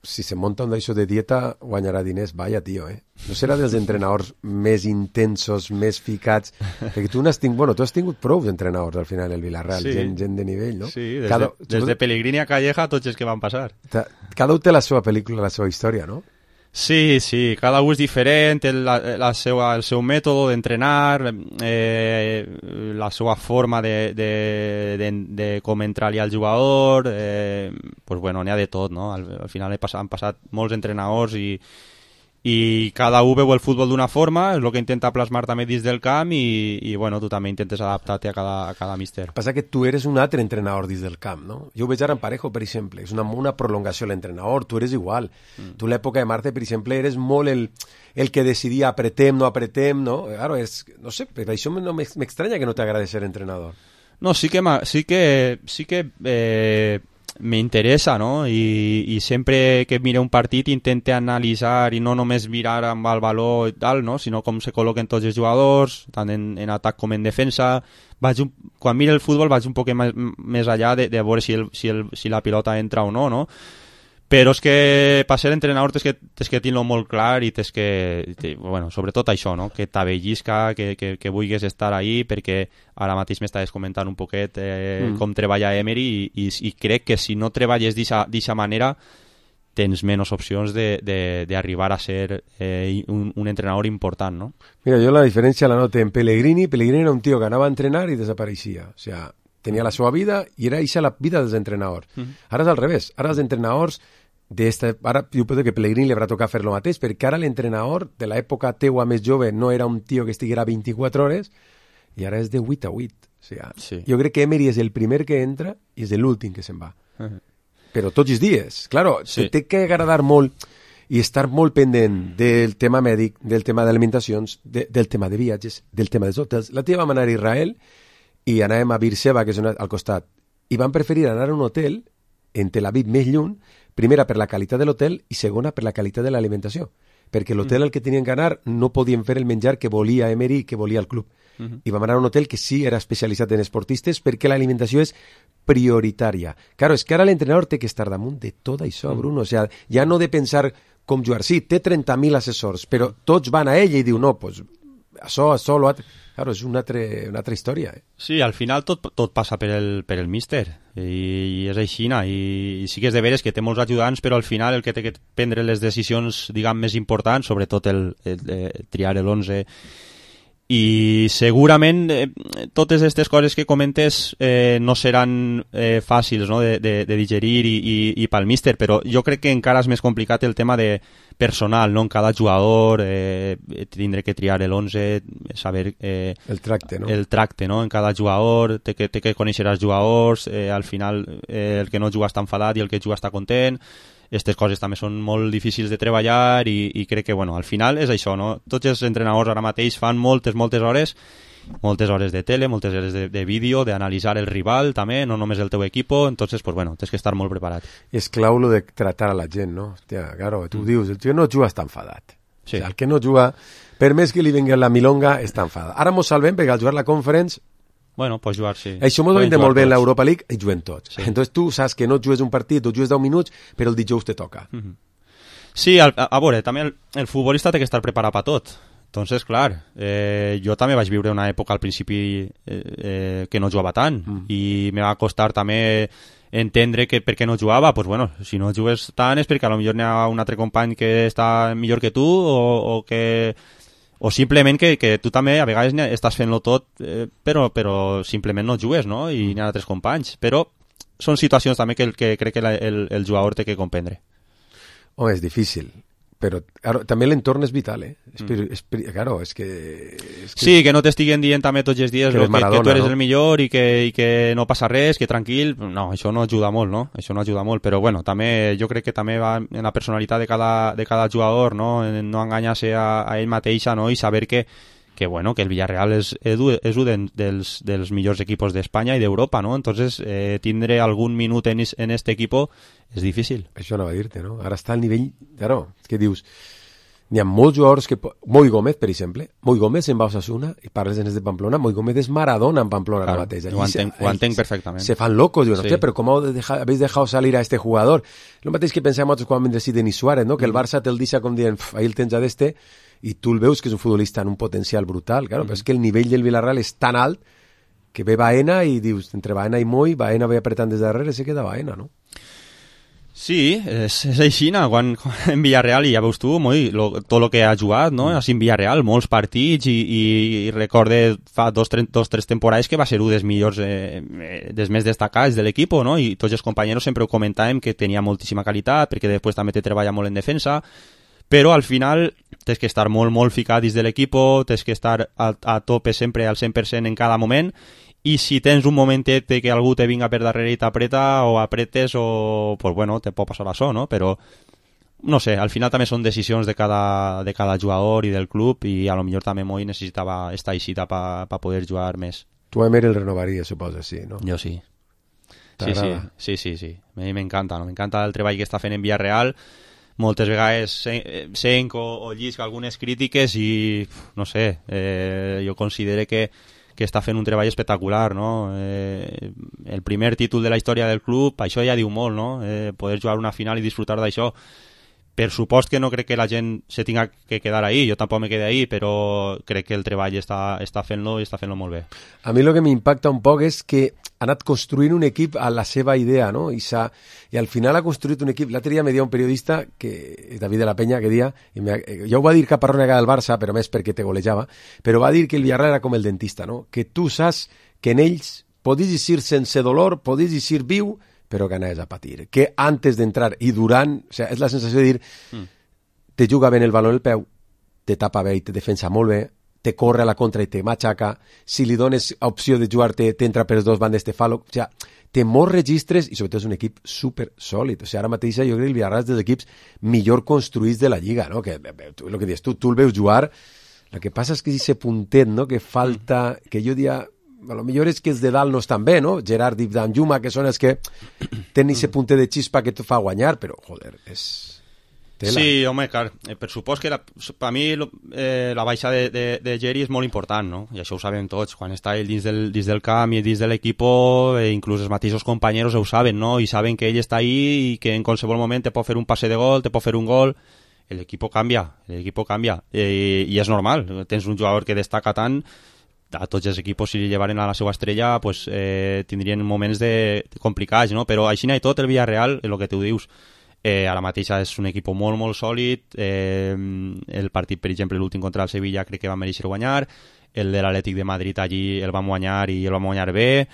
si se monta un d'això de dieta, guanyarà diners. Vaya, tio, eh? No serà dels entrenadors més intensos, més ficats, perquè tu n'has tingut, bueno, tu has tingut prou d'entrenadors al final, el Villarreal, sí. gent, gent de nivell, no? Sí, des, cada, de, des de Pellegrini a Calleja, tots els que van passar. Cada un té la seva pel·lícula, la seva història, no? Sí, sí, cada un és diferent, el, la, la seva, el seu mètode d'entrenar, eh, la seva forma de, de, de, de com entrar-li al jugador, eh, pues bueno, n'hi ha de tot, no? Al, al final he passat, han passat molts entrenadors i, i cada un veu el futbol d'una forma, és el que intenta plasmar també dins del camp i, i bueno, tu també intentes adaptar-te a cada, a cada míster. Passa que tu eres un altre entrenador dins del camp, no? Jo ho veig ara en Parejo, per exemple, és una, una prolongació a l'entrenador, tu eres igual. Mm. Tu a l'època de Marte, per exemple, eres molt el, el que decidia apretem, no apretem, no? Claro, és, no sé, per això no m'estranya que no t'agradi ser entrenador. No, sí que, sí que, sí que eh, m'interessa, no? I, i sempre que mire un partit intente analitzar i no només mirar amb el valor i tal, no? Sinó com se col·loquen tots els jugadors, tant en, en atac com en defensa. Vaig un, quan mire el futbol vaig un poc més, més allà de, de veure si, el, si, el, si la pilota entra o no, no? Però és que per ser entrenador tens que, tens que tenir-lo molt clar i tens que, te, bueno, sobretot això, no? Que t'avellisca, que, que, que vulguis estar ahí, perquè ara mateix m'estaves comentant un poquet eh, mm. com treballa Emery i, i, i crec que si no treballes d'aquesta manera tens menys opcions d'arribar a ser eh, un, un entrenador important, no? Mira, jo la diferència la noto en Pellegrini. Pellegrini era un tio que anava a entrenar i desapareixia, o sea, tenia la seva vida i era eixa la vida dels entrenadors. Mm. Ara és al revés, ara els entrenadors d'esta, ara jo penso que Pellegrini li haurà tocat fer lo mateix, perquè ara l'entrenador de l'època teua més jove no era un tio que estiguera vint-i-quatre hores i ara és de vuit a vuit. O sigui, sí. Jo crec que Emery és el primer que entra i és l'últim que se'n va. Uh -huh. Però tots els dies. Claro, sí. Té que agradar molt i estar molt pendent del tema mèdic, del tema d'alimentacions, de, del tema de viatges, del tema dels hotels. La tia vam anar a Israel i anàvem a Beersheba, que és una, al costat, i van preferir anar a un hotel en Tel Aviv més lluny, primera per la qualitat de l'hotel i segona per la qualitat de l'alimentació, perquè l'hotel al que tenien que anar no podien fer el menjar que volia Emery i que volia el club. Uh-huh. I vam anar a un hotel que sí era especialitzat en esportistes perquè l'alimentació és prioritària. Claro, és que ara l'entrenador té que estar damunt de tot això, uh-huh. Bruno. O sea, ja no de pensar com jugar. Sí, té trenta mil assessors, però tots van a ell i diu, no, pues, això, això, lo altre... Claro, és una altra, una altra història. Eh? Sí, al final tot, tot passa per el, per el míster i, i és així, i, i sí que és de veres que té molts ajudants, però al final el que té que prendre les decisions, diguem, més importants, sobretot el, el, el triar l'onze, i segurament eh, totes aquestes coses que comentes eh, no seran eh, fàcils, no? de, de, de digerir i, i, i pel míster, però jo crec que encara és més complicat el tema de personal, no? En cada jugador eh, tindré que triar l'onze, saber eh, el tracte, no? El tracte, no? En cada jugador té que, té que conèixer els jugadors, eh, al final eh, el que no juga està enfadat i el que juga està content. Aquestes coses també són molt difícils de treballar i, i crec que, bueno, al final és això, no? Tots els entrenadors ara mateix fan moltes, moltes hores, moltes hores de tele, moltes hores de, de vídeo, d'analitzar el rival també, no només el teu equipo, entonces, pues bueno, tens que estar molt preparat. És clau lo de tratar a la gent, no? Hòstia, claro, tu mm. dius, el tio no juga està enfadat. Sí. O sea, el que no juga, per més que li vingui la milonga, està enfadat. Ara mos salvem perquè al jugar la Conference Bueno, pots jugar, sí. Això m'ho vende molt bé en l'Europa League i juguem tots. Sí. Entonces tu saps que no jugues un partit o jugues deu minuts, però el dijous te toca. Mm -hmm. Sí, a, a, a veure, també el, el futbolista té que estar preparat per tot. Entonces, clar, eh, jo també vaig viure una època al principi eh, eh, que no jugava tant mm. i me va costar també entendre que per què no jugava. Pues bueno, si no jugues tant és perquè potser n'hi ha un altre company que està millor que tu o, o que... o simplement que, que tu també a vegades estàs fent-lo tot eh, però, però simplement no jugues, no? I n'hi ha altres companys, però són situacions també que, que crec que la, el, el jugador té que comprendre. Oh, és difícil, però claro, també l'entorn és vital, eh? Mm. És, és, claro, és que, és que... Sí, que no t'estiguen dient també tots els dies que, lo, Maradona, que, que tu eres no? el millor i que, i que no passa res, que tranquil, no, això no ajuda molt, no? Això no ajuda molt, però bueno, també jo crec que també va en la personalitat de cada, de cada jugador, no? En no enganyar-se a, a ell mateixa, no? I saber que que bueno, que el Villarreal és, és un dels, dels millors equipos d'Espanya i d'Europa, ¿no? Entonces, eh, tindre algun minut en, en este equipo és difícil. Això no va dir-te, no? Ara està al nivell... Claro, que dius... N'hi ha molts jugadors que... Moi Gómez, per exemple. Moi Gómez en va a Osasuna i parles en de Pamplona. Moi Gómez és Maradona en Pamplona claro, ara mateix. Ho entenc, ho entenc perfectament. Se fan locos, diuen, sí. Però com habéis dejado salir a este jugador? Lo mateix que pensem nosaltres quan vam dir Denis Suárez, no? Que el Barça te'l deixa com dient, ahí el tens a d'este, i tu el veus que és un futbolista en un potencial brutal, claro, mm. però és que el nivell del Villarreal és tan alt que ve Baena i dius, entre Baena i Moi, Baena ve apretant des darrere i se queda Baena, no? Sí, és, és així, quan, quan en Villarreal, i ja veus tu, moi, lo, tot el que ha jugat, no? Mm. En Villarreal, molts partits, i, i, i recorde fa dos, tres, dos, tres temporades que va ser un dels millors, eh, dels més destacats de l'equip, no? I tots els companys sempre ho comentàvem que tenia moltíssima qualitat, perquè després també te treballa molt en defensa, però al final tens que estar molt, molt ficat dins de l'equip, tens que estar a, a tope sempre al cent per cent en cada moment, i si tens un momentet que algú te vinga per darrere i t'apreta o apretes o, pues bueno, te pot passar això, no? Però, no sé, al final també són decisions de cada, de cada jugador i del club i a lo millor també Moi necessitava estar aixita per pa, pa poder jugar més. Tu a Emery el renovaries, suposa, sí, no? Jo sí. Sí, sí, sí, sí, sí. A mi m'encanta, no? M'encanta el treball que està fent en Villarreal. Moltes vegades senc o, o llisc algunes crítiques i, no sé, eh, jo considero que que està fent un treball espectacular, no? Eh, el primer títol de la història del club, això ja diu molt, no? Eh, poder jugar una final i disfrutar d'això. Per supost que no crec que la gent se tinga que quedar ahí, jo tampoc me quedé ahí, però crec que el treball està, està fent-lo i està fent-lo molt bé. A mi el que m'impacta un poc és que ha anat construint un equip a la seva idea, no? I, i al final ha construït un equip. L'altre dia me dia un periodista, que David de la Peña, que dia, i me, ja ho va dir Caparrós del Barça, però més perquè te golejava, però va dir que el Villarreal era com el dentista, no? Que tu saps que en ells podis eixir sense dolor, podis eixir viu, però que anaves a patir. Que antes d'entrar i durant, o sea, és la sensació de dir mm. te juga ben el baló en el peu, te tapa bé i te defensa molt bé, te corre a la contra i te matxaca, si li dones opció de jugar-te, t'entra per dos bandes, te fa... Lo... O sea, té molts registres i sobretot és un equip super sòlid. O sigui, ara mateix jo crec que el Villarreal és dels equips millor construïts de la Lliga, no? Que, tu, el que dius tu, tu el veus jugar, el que passa és que ese puntet, no?, que falta, que jo diria... A lo millor és que els de dalt no estan bé, no? Gerard i Danjuma, que són els que tenen ese puntet de xispa que et fa guanyar, però, joder, és... Tela. Sí, home, clar, eh, per supòs que la, per mi eh, la baixa de, de, de Geri és molt important, no? I això ho sabem tots, quan està ell dins del, dins del camp i dins de l'equip, eh, inclús els mateixos companys ho saben, no? I saben que ell està ahí i que en qualsevol moment te pot fer un passe de gol, te pot fer un gol, l'equip canvia, l'equip canvia, eh, i és normal, tens un jugador que destaca tant, a tots els equips, si li llevaren a la seva estrella, pues, eh, tindrien moments de, de complicats, no? Però així i tot, el Villarreal, el que tu dius, eh, ara mateixa és un equip molt, molt sòlid. Eh, el partit, per exemple, l'últim contra el Sevilla, crec que va mereixer guanyar. El de l'Atlètic de Madrid, allí el vam guanyar i el vam guanyar bé.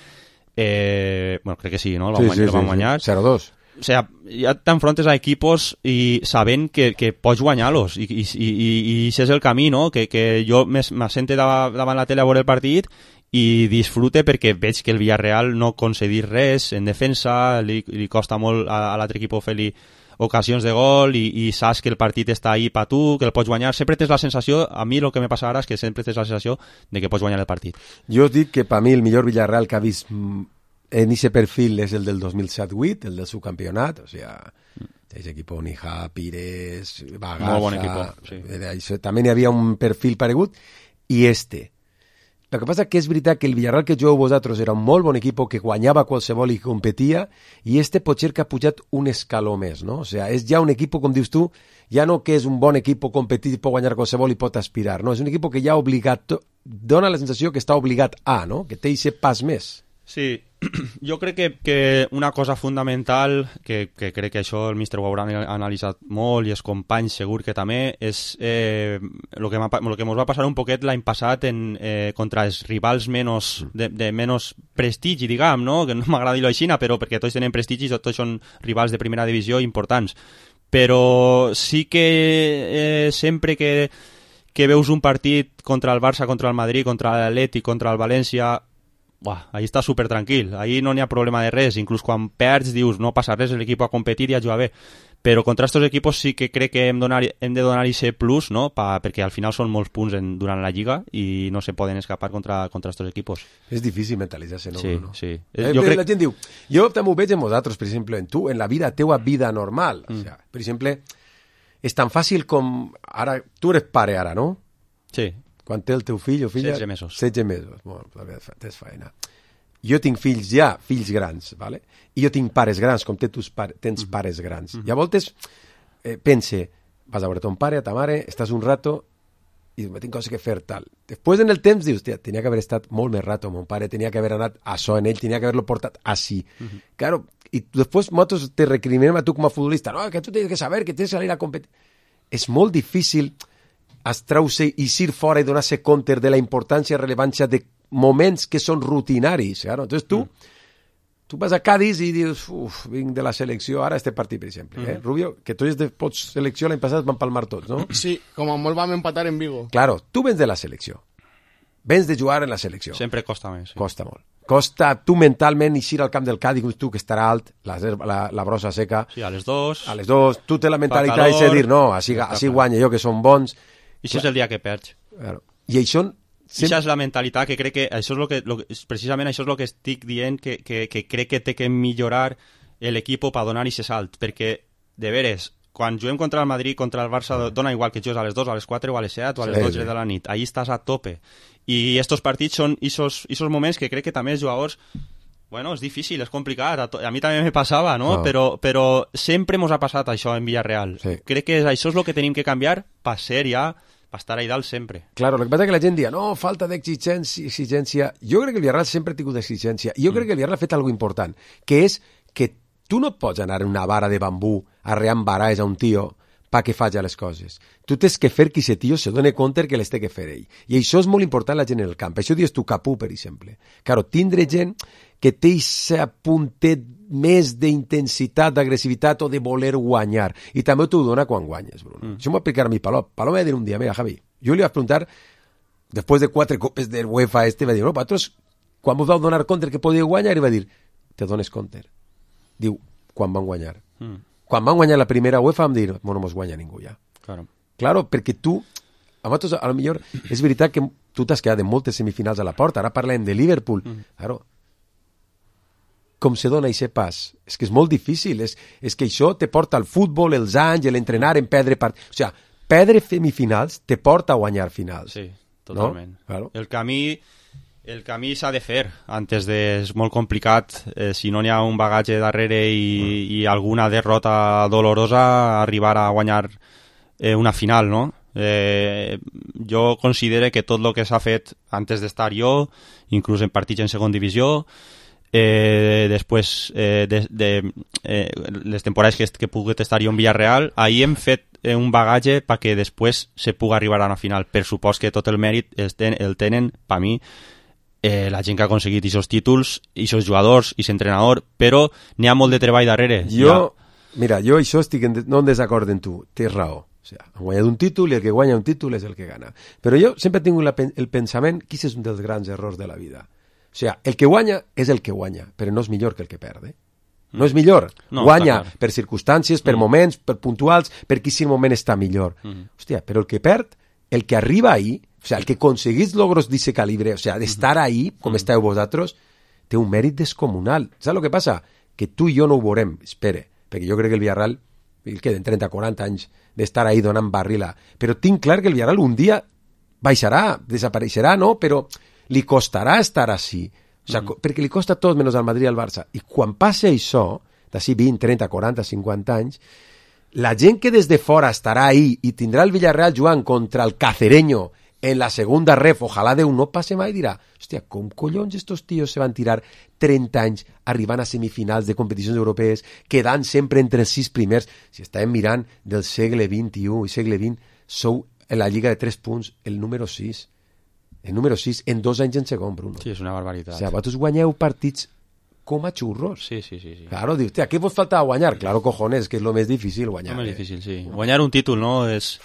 Eh, bueno, crec que sí, no? El vam, sí, guanyar, sí, el vam sí, guanyar. Sí. cero dos. O sea, ja t'enfrontes a equipos i sabent que, que pots guanyar-los i, i, i, i això és el camí, no? Que, que jo m'assente davant, davant la tele a veure el partit i disfrute perquè veig que el Villarreal no concedir res en defensa, li, li costa molt a, a l'altre equip fer-li ocasions de gol i, i saps que el partit està ahí per tu, que el pots guanyar. Sempre tens la sensació, a mi el que me passa ara és que sempre tens la sensació de que pots guanyar el partit. Jo us dic que per mi el millor Villarreal que ha vist en ese perfil és el del dos mil set vuit, el del subcampionat, o sea, ese equipo Nija, Pires, Bagaza... Molt bon equipo, sí. Això, també hi havia un perfil paregut, i este. El que passa que és veritat que el Villarreal que jugueu vosaltres era un molt bon equip que guanyava qualsevol i competia, i este potser que ha pujat un escaló més, no? O sea, és ja un equip, com dius tu, ja no que és un bon equip competit i pot guanyar qualsevol i pot aspirar, no? És un equip que ja ha obligat, dona la sensació que està obligat a, no? Que té aquest pas més. Sí, jo crec que, que una cosa fundamental, que, que crec que això el míster ho haurà analitzat molt i els companys segur que també, és eh, el que, que ens va passar un poquet l'any passat en, eh, contra els rivals menos, de, de menys prestigi, diguem, no? Que no m'agrada dir-ho així, però perquè tots tenen prestigi, tots són rivals de primera divisió importants. Però sí que eh, sempre que, que veus un partit contra el Barça, contra el Madrid, contra l'Atlètic, contra el València... Buah, ahí està super tranquil, ahí no n'hi ha problema de res, inclús quan perds dius no passa res, l'equip a competir i a jugar bé, però contra aquests equipos sí que crec que hem, donar, hem de donar aquest plus, no? Pa, perquè al final són molts punts en, durant la Lliga i no se poden escapar contra, contra aquests equipos. És difícil mentalitzar-se, no? Sí, no? sí. Eh, jo crec... La gent diu, jo també ho veig en vosaltres, per exemple, en tu, en la vida, teua vida normal, mm. o sea, per exemple, és tan fàcil com, ara, tu eres pare ara, no? Sí. Quan té el teu fill o filla? setze mesos. setze mesos. Bueno, tens faena. Jo tinc fills ja, fills grans, ¿vale? I jo tinc pares grans, com tus pare, tens mm-hmm. pares grans. Mm-hmm. I a voltes eh, pense, vas a veure ton pare, a ta mare, estàs un rato i tinc coses que fer, tal. Després, en el temps, dius, tia, tenia que haver estat molt més rato, mon pare tenia que haver anat a això en ell, tenia que haver-lo portat així. Uh-huh. Claro, i després nosaltres te recriminem a tu com a futbolista, no, que tu tens que saber, que tens que salir a competir. És molt difícil estreure i ir fora i donar-se compte de la importància i rellevància de moments que són rutinaris. Claro. Entonces tu, mm. tu vas a Cádiz i dius, uf, vinc de la selecció, ara este partit, per exemple. Mm. Eh? Rubio, que tu de pots selecció l'any passat van palmar tots, no? Sí, com a molt vam empatar en Vigo. Claro, tu vens de la selecció. Vens de jugar en la selecció. Sempre costa més. Sí. Costa molt. Costa tu mentalment eixir al camp del Cádiz, tu que estarà alt, la, la, la brossa seca. Sí, a les dos. A les dos. Tu té la mentalitat de dir, no, així, així guanya jo, que són bons. I això és el dia que perds. Claro. I això... Sempre... Això és la mentalitat que crec que... Això és lo que, lo, precisament això és el que estic dient, que, que, que crec que té que millorar l'equip per donar aquest salt, perquè, de veres, quan juguem contra el Madrid, contra el Barça, dona igual que jugues a les dos, a les quatre o a les set o a les sí, dotze sí. de la nit. Ahí estàs a tope. I estos partits són esos, esos moments que crec que també els jugadors... Bueno, és difícil, és complicat. A, to... a mi també me passava, no? Oh. Però, però sempre mos ha passat això en Villarreal. Sí. Crec que això és el que tenim que canviar per ser ja... per estar ahí dalt sempre. Claro, lo que pasa es que la gent dia, no, falta d'exigència, exigència. Jo crec que el Villarreal sempre ha tingut exigència. I jo mm. crec que el Villarreal ha fet algo important, que és que tu no pots anar en una vara de bambú arreant baralles a un tio pa que faci les coses. Tu tens que fer que aquest tio se doni compte que les té que fer ell. I això és molt important la gent en el camp. Això dius tu Capú, per exemple. Claro, tindre gent que té aquest puntet més d'intensitat, d'agressivitat o de voler guanyar. I també t'ho dona quan guanyes, Bruno. Mm. Això m'ho va explicar a mi Palop. Palop va dir un dia, mira, Javi, jo li vaig preguntar, després de quatre copes del UEFA este, va dir, no, vosaltres, quan vos vau donar compte que podíeu guanyar? I va dir, te dones compte. Diu, quan van guanyar. Mm. Quan van guanyar la primera UEFA vam dir, no mos guanya ningú ja. Claro. Claro, perquè tu, a vosaltres, a lo millor, és veritat que tu t'has quedat en moltes semifinals a la porta, ara parlem de Liverpool, mm. claro, com se dona aquest pas? És que és molt difícil, és, és que això te porta al futbol, els anys, l'entrenar en perdre partits. O sigui, perdre semifinals te porta a guanyar finals. Sí, totalment. No? Claro. El camí, el camí s'ha de fer antes de... És molt complicat, eh, si no n'hi ha un bagatge darrere i, mm. i alguna derrota dolorosa, arribar a guanyar eh, una final, no? Eh, jo considero que tot el que s'ha fet antes d'estar jo, inclús en partits en segon divisió, Eh, després eh, de, de eh, les temporades que, que he pogut estar jo en Villarreal, ahir hem fet eh, un bagatge perquè després se pugui arribar a una final. Per supost que tot el mèrit el, ten, el tenen, per mi, eh, la gent que ha aconseguit aquests títols, aquests jugadors, aquest entrenador, però n'hi ha molt de treball darrere. Jo, ja. Mira, jo això estic en, no en desacord amb tu, tens raó. O sigui, han guanyat un títol i el que guanya un títol és el que gana. Però jo sempre tinc la, el pensament que aquest és un dels grans errors de la vida. O sigui, el que guanya és el que guanya, però no és millor que el que perde. No és millor. No, guanya per circumstàncies, per mm. moments, per puntuals, perquè si el moment està millor. Mm. Hòstia, però el que perd, el que arriba ahí, o sigui, el que aconseguís logros d'aquest calibre, o sigui, d'estar ahí, com mm. esteu vosaltres, té un mèrit descomunal. Saps el que passa? Que tu i jo no ho veurem, espere, perquè jo crec que el Villarreal, el queden trenta o quaranta anys d'estar ahí donant barrila, però tinc clar que el Villarreal un dia baixarà, desapareixerà, no? Però li costarà estar així, o sigui, mm. perquè li costa tot menys al Madrid i al Barça. I quan passi això, d'ací vint, trenta, quaranta, cinquanta anys, la gent que des de fora estarà ahí i tindrà el Villarreal jugant contra el Cacereño en la segunda ref, ojalà Déu no passe mai, dirà, hòstia, com collons estos tios se van tirar trenta anys arribant a semifinals de competicions europees, quedant sempre entre els sis primers? Si estàvem mirant del segle vint-i-u i segle vint, sou en la lliga de tres punts el número sis. El número sis, en dos anys en segon, Bruno. Sí, és una barbaritat. O sigui, vosaltres guanyeu partits com a xurros. Sí, sí, sí. sí. Claro, dius, què vos falta guanyar? Claro, cojones, que és lo més difícil guanyar. Lo més eh? difícil, sí. Guanyar un títol, no?, és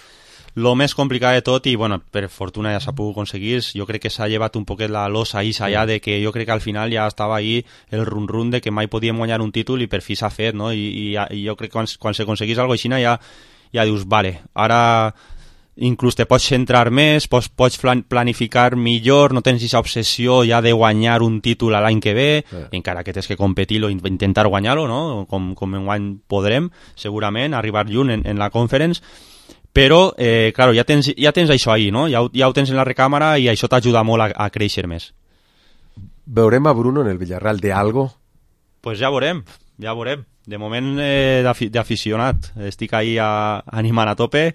lo més complicat de tot i, bueno, per fortuna ja s'ha pogut aconseguir. Jo crec que s'ha llevat un poquet la losa ahí, allà, de que jo crec que al final ja estava ahí el run-run de que mai podíem guanyar un títol i per fi s'ha fet, no? I, i, i jo crec que quan, quan s'aconseguís alguna cosa així ja, ja dius, vale, ara... inclús te pots centrar més, pots, pots planificar millor, no tens aquesta obsessió ja de guanyar un títol l'any que ve, sí. Encara que tens que competir-lo, intentar guanyar-lo, no? com, com en guany podrem, segurament, arribar lluny en, en la conference, però, eh, claro, ja tens, ja tens això ahí, no? Ja, ja ho tens en la recàmera i això t'ajuda molt a, a créixer més. Veurem a Bruno en el Villarreal de algo? Pues ja veurem, ja veurem. De moment, eh, d'aficionat, estic ahí a, animant a tope.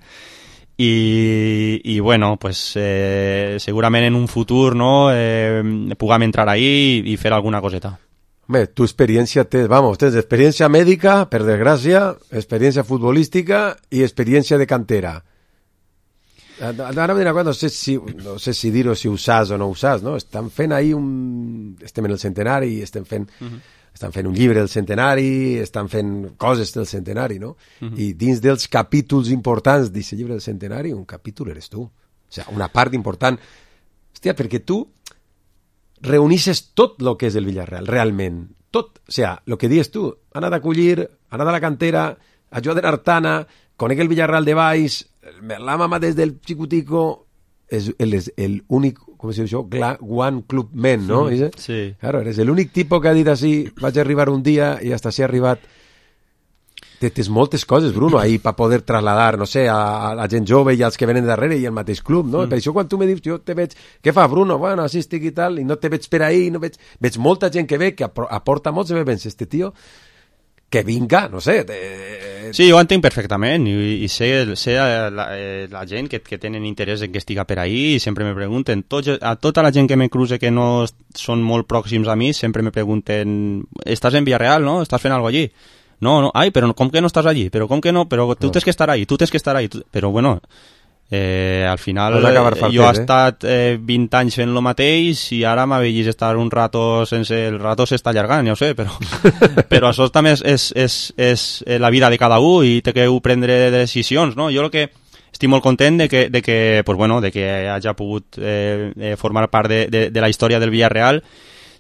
i, i bueno, pues, eh, segurament en un futur, no, eh, puguem entrar ahí i fer alguna coseta. Home, tu experiència tens, vamos, tens experiència mèdica, per desgràcia, experiència futbolística i experiència de cantera. Ara m'he no sé si, no sé si dir-ho, si ho saps o no ho saps, no? Estan fent ahir un... Estem en el centenari, estem fent... Uh-huh. Estan fent un llibre del centenari, estan fent coses del centenari, no? Uh-huh. I dins dels capítols importants d'aquest llibre del centenari, un capítol eres tu. O sigui, una part important. Hòstia, perquè tu reunisses tot el que és el Villarreal, realment. Tot. O sigui, el que dius tu, anar d'acollir, anar de la cantera, ajudar de l'Artana, conec el Villarreal de baix, la mama des del xicutico, és el, el únic, com se diu això, one club man, ¿no? Sí, sí. Claro, eres el únic tipus que ha dit així, vaig arribar un dia i hasta si ha arribat. Tens moltes coses, Bruno, ahí per poder trasladar, no sé, a, a la gent jove i als que venen darrere i al mateix club, no? Mm. Per això quan tu me dius, jo te veig, què fa Bruno? Bueno, així estic i tal, i no te veig per ahí, no veig, veig molta gent que ve, que aporta molt, se me pensa, este tio, que vinga, no sé. Te... Sí, jo entenc perfectament i, i sé, sé la, la gent que, que tenen interès en que estiga per ahí i sempre me pregunten, tots, a tota la gent que me cruce que no són molt pròxims a mi, sempre me pregunten, estàs en Villarreal, no? Estàs fent alguna cosa allí? No, no, ai, però com que no estàs allí? Però com que no? Però tu no. Tens que estar ahí, tu tens que estar ahí. Tu... Però bueno, eh, al final fartet, jo he eh? estat eh, vint anys fent lo mateix i ara m'ha vegit estar un rato sense... El rato s'està allargant, ja ho sé, però, però això també és, és, és, és la vida de cada un i té que prendre decisions, no? Jo el que estic molt content de que, de que, pues bueno, de que hagi pogut eh, eh, formar part de, de, de la història del Villarreal.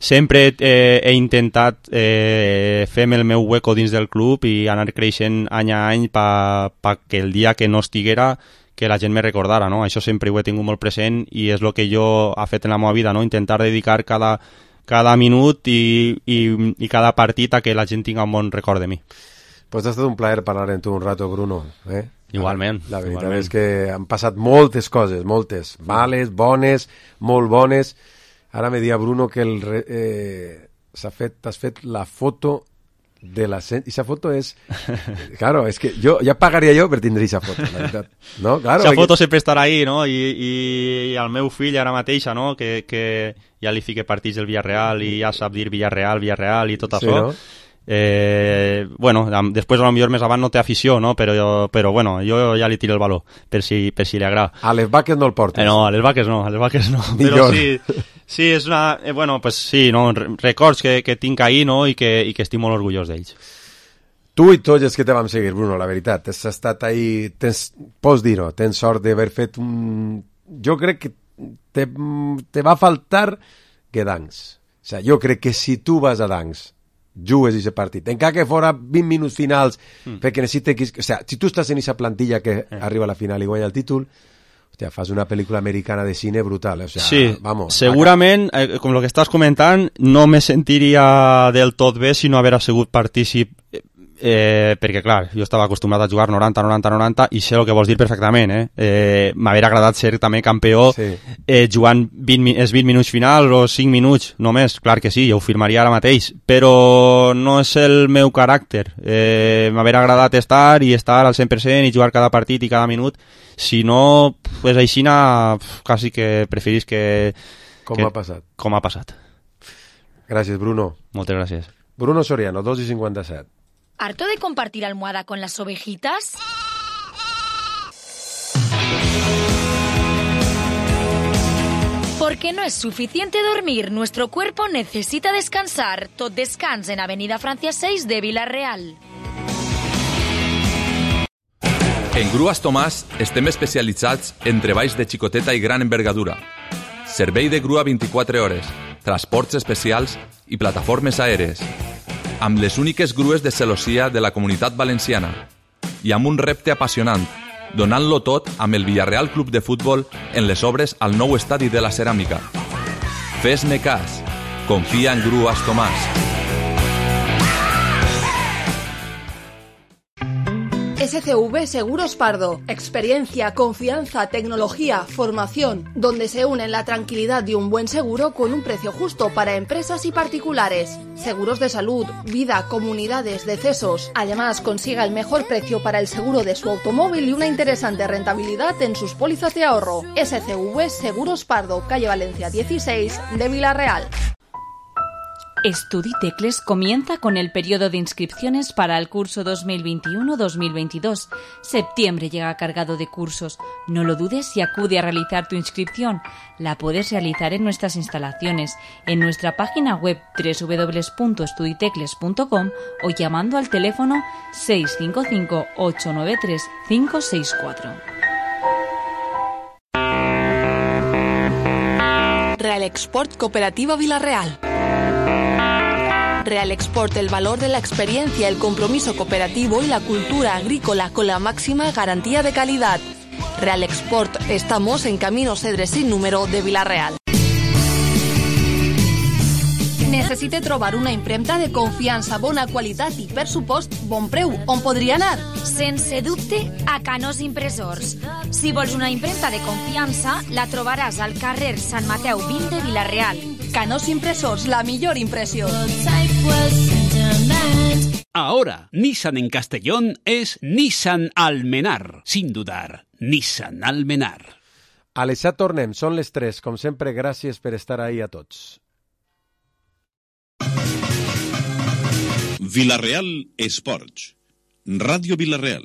Sempre eh, he intentat eh, fer-me el meu hueco dins del club i anar creixent any a any per pa que el dia que no estiguera que la gent me recordara, no? Això sempre ho he tingut molt present i és el que jo he fet en la meva vida, no? Intentar dedicar cada, cada minut i, i, i cada partit a que la gent tinga un bon record de mi. Pues ha estat un plaer parlar amb tu un rato, Bruno. Eh? Igualment. La veritat igualment. És que han passat moltes coses, moltes, males, bones, molt bones. Ara me dia Bruno que el eh, s'ha fet, t'has fet la foto de la... I esa foto és... Claro, és que jo ja pagaria jo per tindre esa foto, la veritat. No? Claro, esa foto que... sempre estarà ahí, no? I, i, i al meu fill ara mateixa, no? Que, que ja li fique partits del Villarreal i ja sap dir Villarreal, Villarreal i tot sí, això. No? Eh, bueno, després a lo millor més avant no té afició, no? Però, però bueno, jo ja li tiro el valor per si, per si li agrada. A les vaques no el portes. Eh, no, a les vaques no, a les vaques no. Però sí, sí, és una... Eh, bueno, pues sí, no? Records que, que tinc ahí, no? I que, i que estic molt orgullós d'ells. Tu i tots els que te vam seguir, Bruno, la veritat, has estat ahí, tens, pots dir-ho, tens sort d'haver fet un... Jo crec que te, te va faltar Gdansk. O sigui, jo crec que si tu vas a Gdansk jugues aquest partit, encara que fora vint minuts finals, mm. perquè necessites... O sigui, si tu estàs en aquesta plantilla que eh. arriba a la final i guanya el títol, hòstia, fas una pel·lícula americana de cine brutal. O sigui, sí, vamos, segurament, eh, com el que estàs comentant, no me sentiria del tot bé si no haver sigut partícip eh, perquè clar, jo estava acostumat a jugar noranta, noranta, noranta i sé el que vols dir perfectament, eh? eh m'hauria agradat ser també campió sí. eh, jugant vint, els vint minuts finals o cinc minuts només, clar que sí, jo ho firmaria ara mateix, però no és el meu caràcter, eh, m'hauria agradat estar i estar al cent per cent i jugar cada partit i cada minut, si no pues així quasi que preferís que com que, ha passat com ha passat. Gràcies, Bruno. Moltes gràcies. Bruno Soriano, dos i cinquanta-set. ¿Harto de compartir almohada con las ovejitas? Porque no es suficiente dormir, nuestro cuerpo necesita descansar. Tot descans en Avenida Francia seis de Vila-real. En Grues Tomàs estem especialitzats en treballs de xicoteta i gran envergadura. Servei de grua vint-i-quatre hores, transports especials i plataformes aèries. Amb les úniques grues de celossia de la Comunitat Valenciana i amb un repte apassionant, donant-lo tot amb el Villarreal Club de Futbol en les obres al nou estadi de la Ceràmica. Fes-me cas, confia en Grues Tomàs. S C V Seguros Pardo. Experiencia, confianza, tecnología, formación, donde se unen la tranquilidad de un buen seguro con un precio justo para empresas y particulares. Seguros de salud, vida, comunidades, decesos. Además, consiga el mejor precio para el seguro de su automóvil y una interesante rentabilidad en sus pólizas de ahorro. S C V Seguros Pardo, calle Valencia dieciséis de Vila-real. Estuditecles comienza con el periodo de inscripciones para el curso dos mil veintiuno dos mil veintidós. Septiembre llega cargado de cursos. No lo dudes y acude a realizar tu inscripción. La puedes realizar en nuestras instalaciones, en nuestra página web doble u doble u doble u punto estuditecles punto com o llamando al teléfono seis cinco cinco ocho nueve tres cinco seis cuatro. Real Export Cooperativa Vila-real. Real Export, el valor de la experiencia, el compromiso cooperativo y la cultura agrícola con la máxima garantía de calidad. Real Export, estamos en Camino Cedres sin número de Vila-real. Necessite trobar una impremta de confiança, bona qualitat i, per supost, bon preu. On podria anar? Sense dubte, a Canós Impressors. Si vols una impremta de confiança, la trobaràs al carrer Sant Mateu vint de Vila-real. Canós Impressors, la millor impressió. Ahora, Nissan en Castellón es Nissan Almenar. Sin dudar, Nissan Almenar. A les set tornem, són les tres. Com sempre, gràcies per estar ahí a tots. Vila-real Esports. Ràdio Vila-real.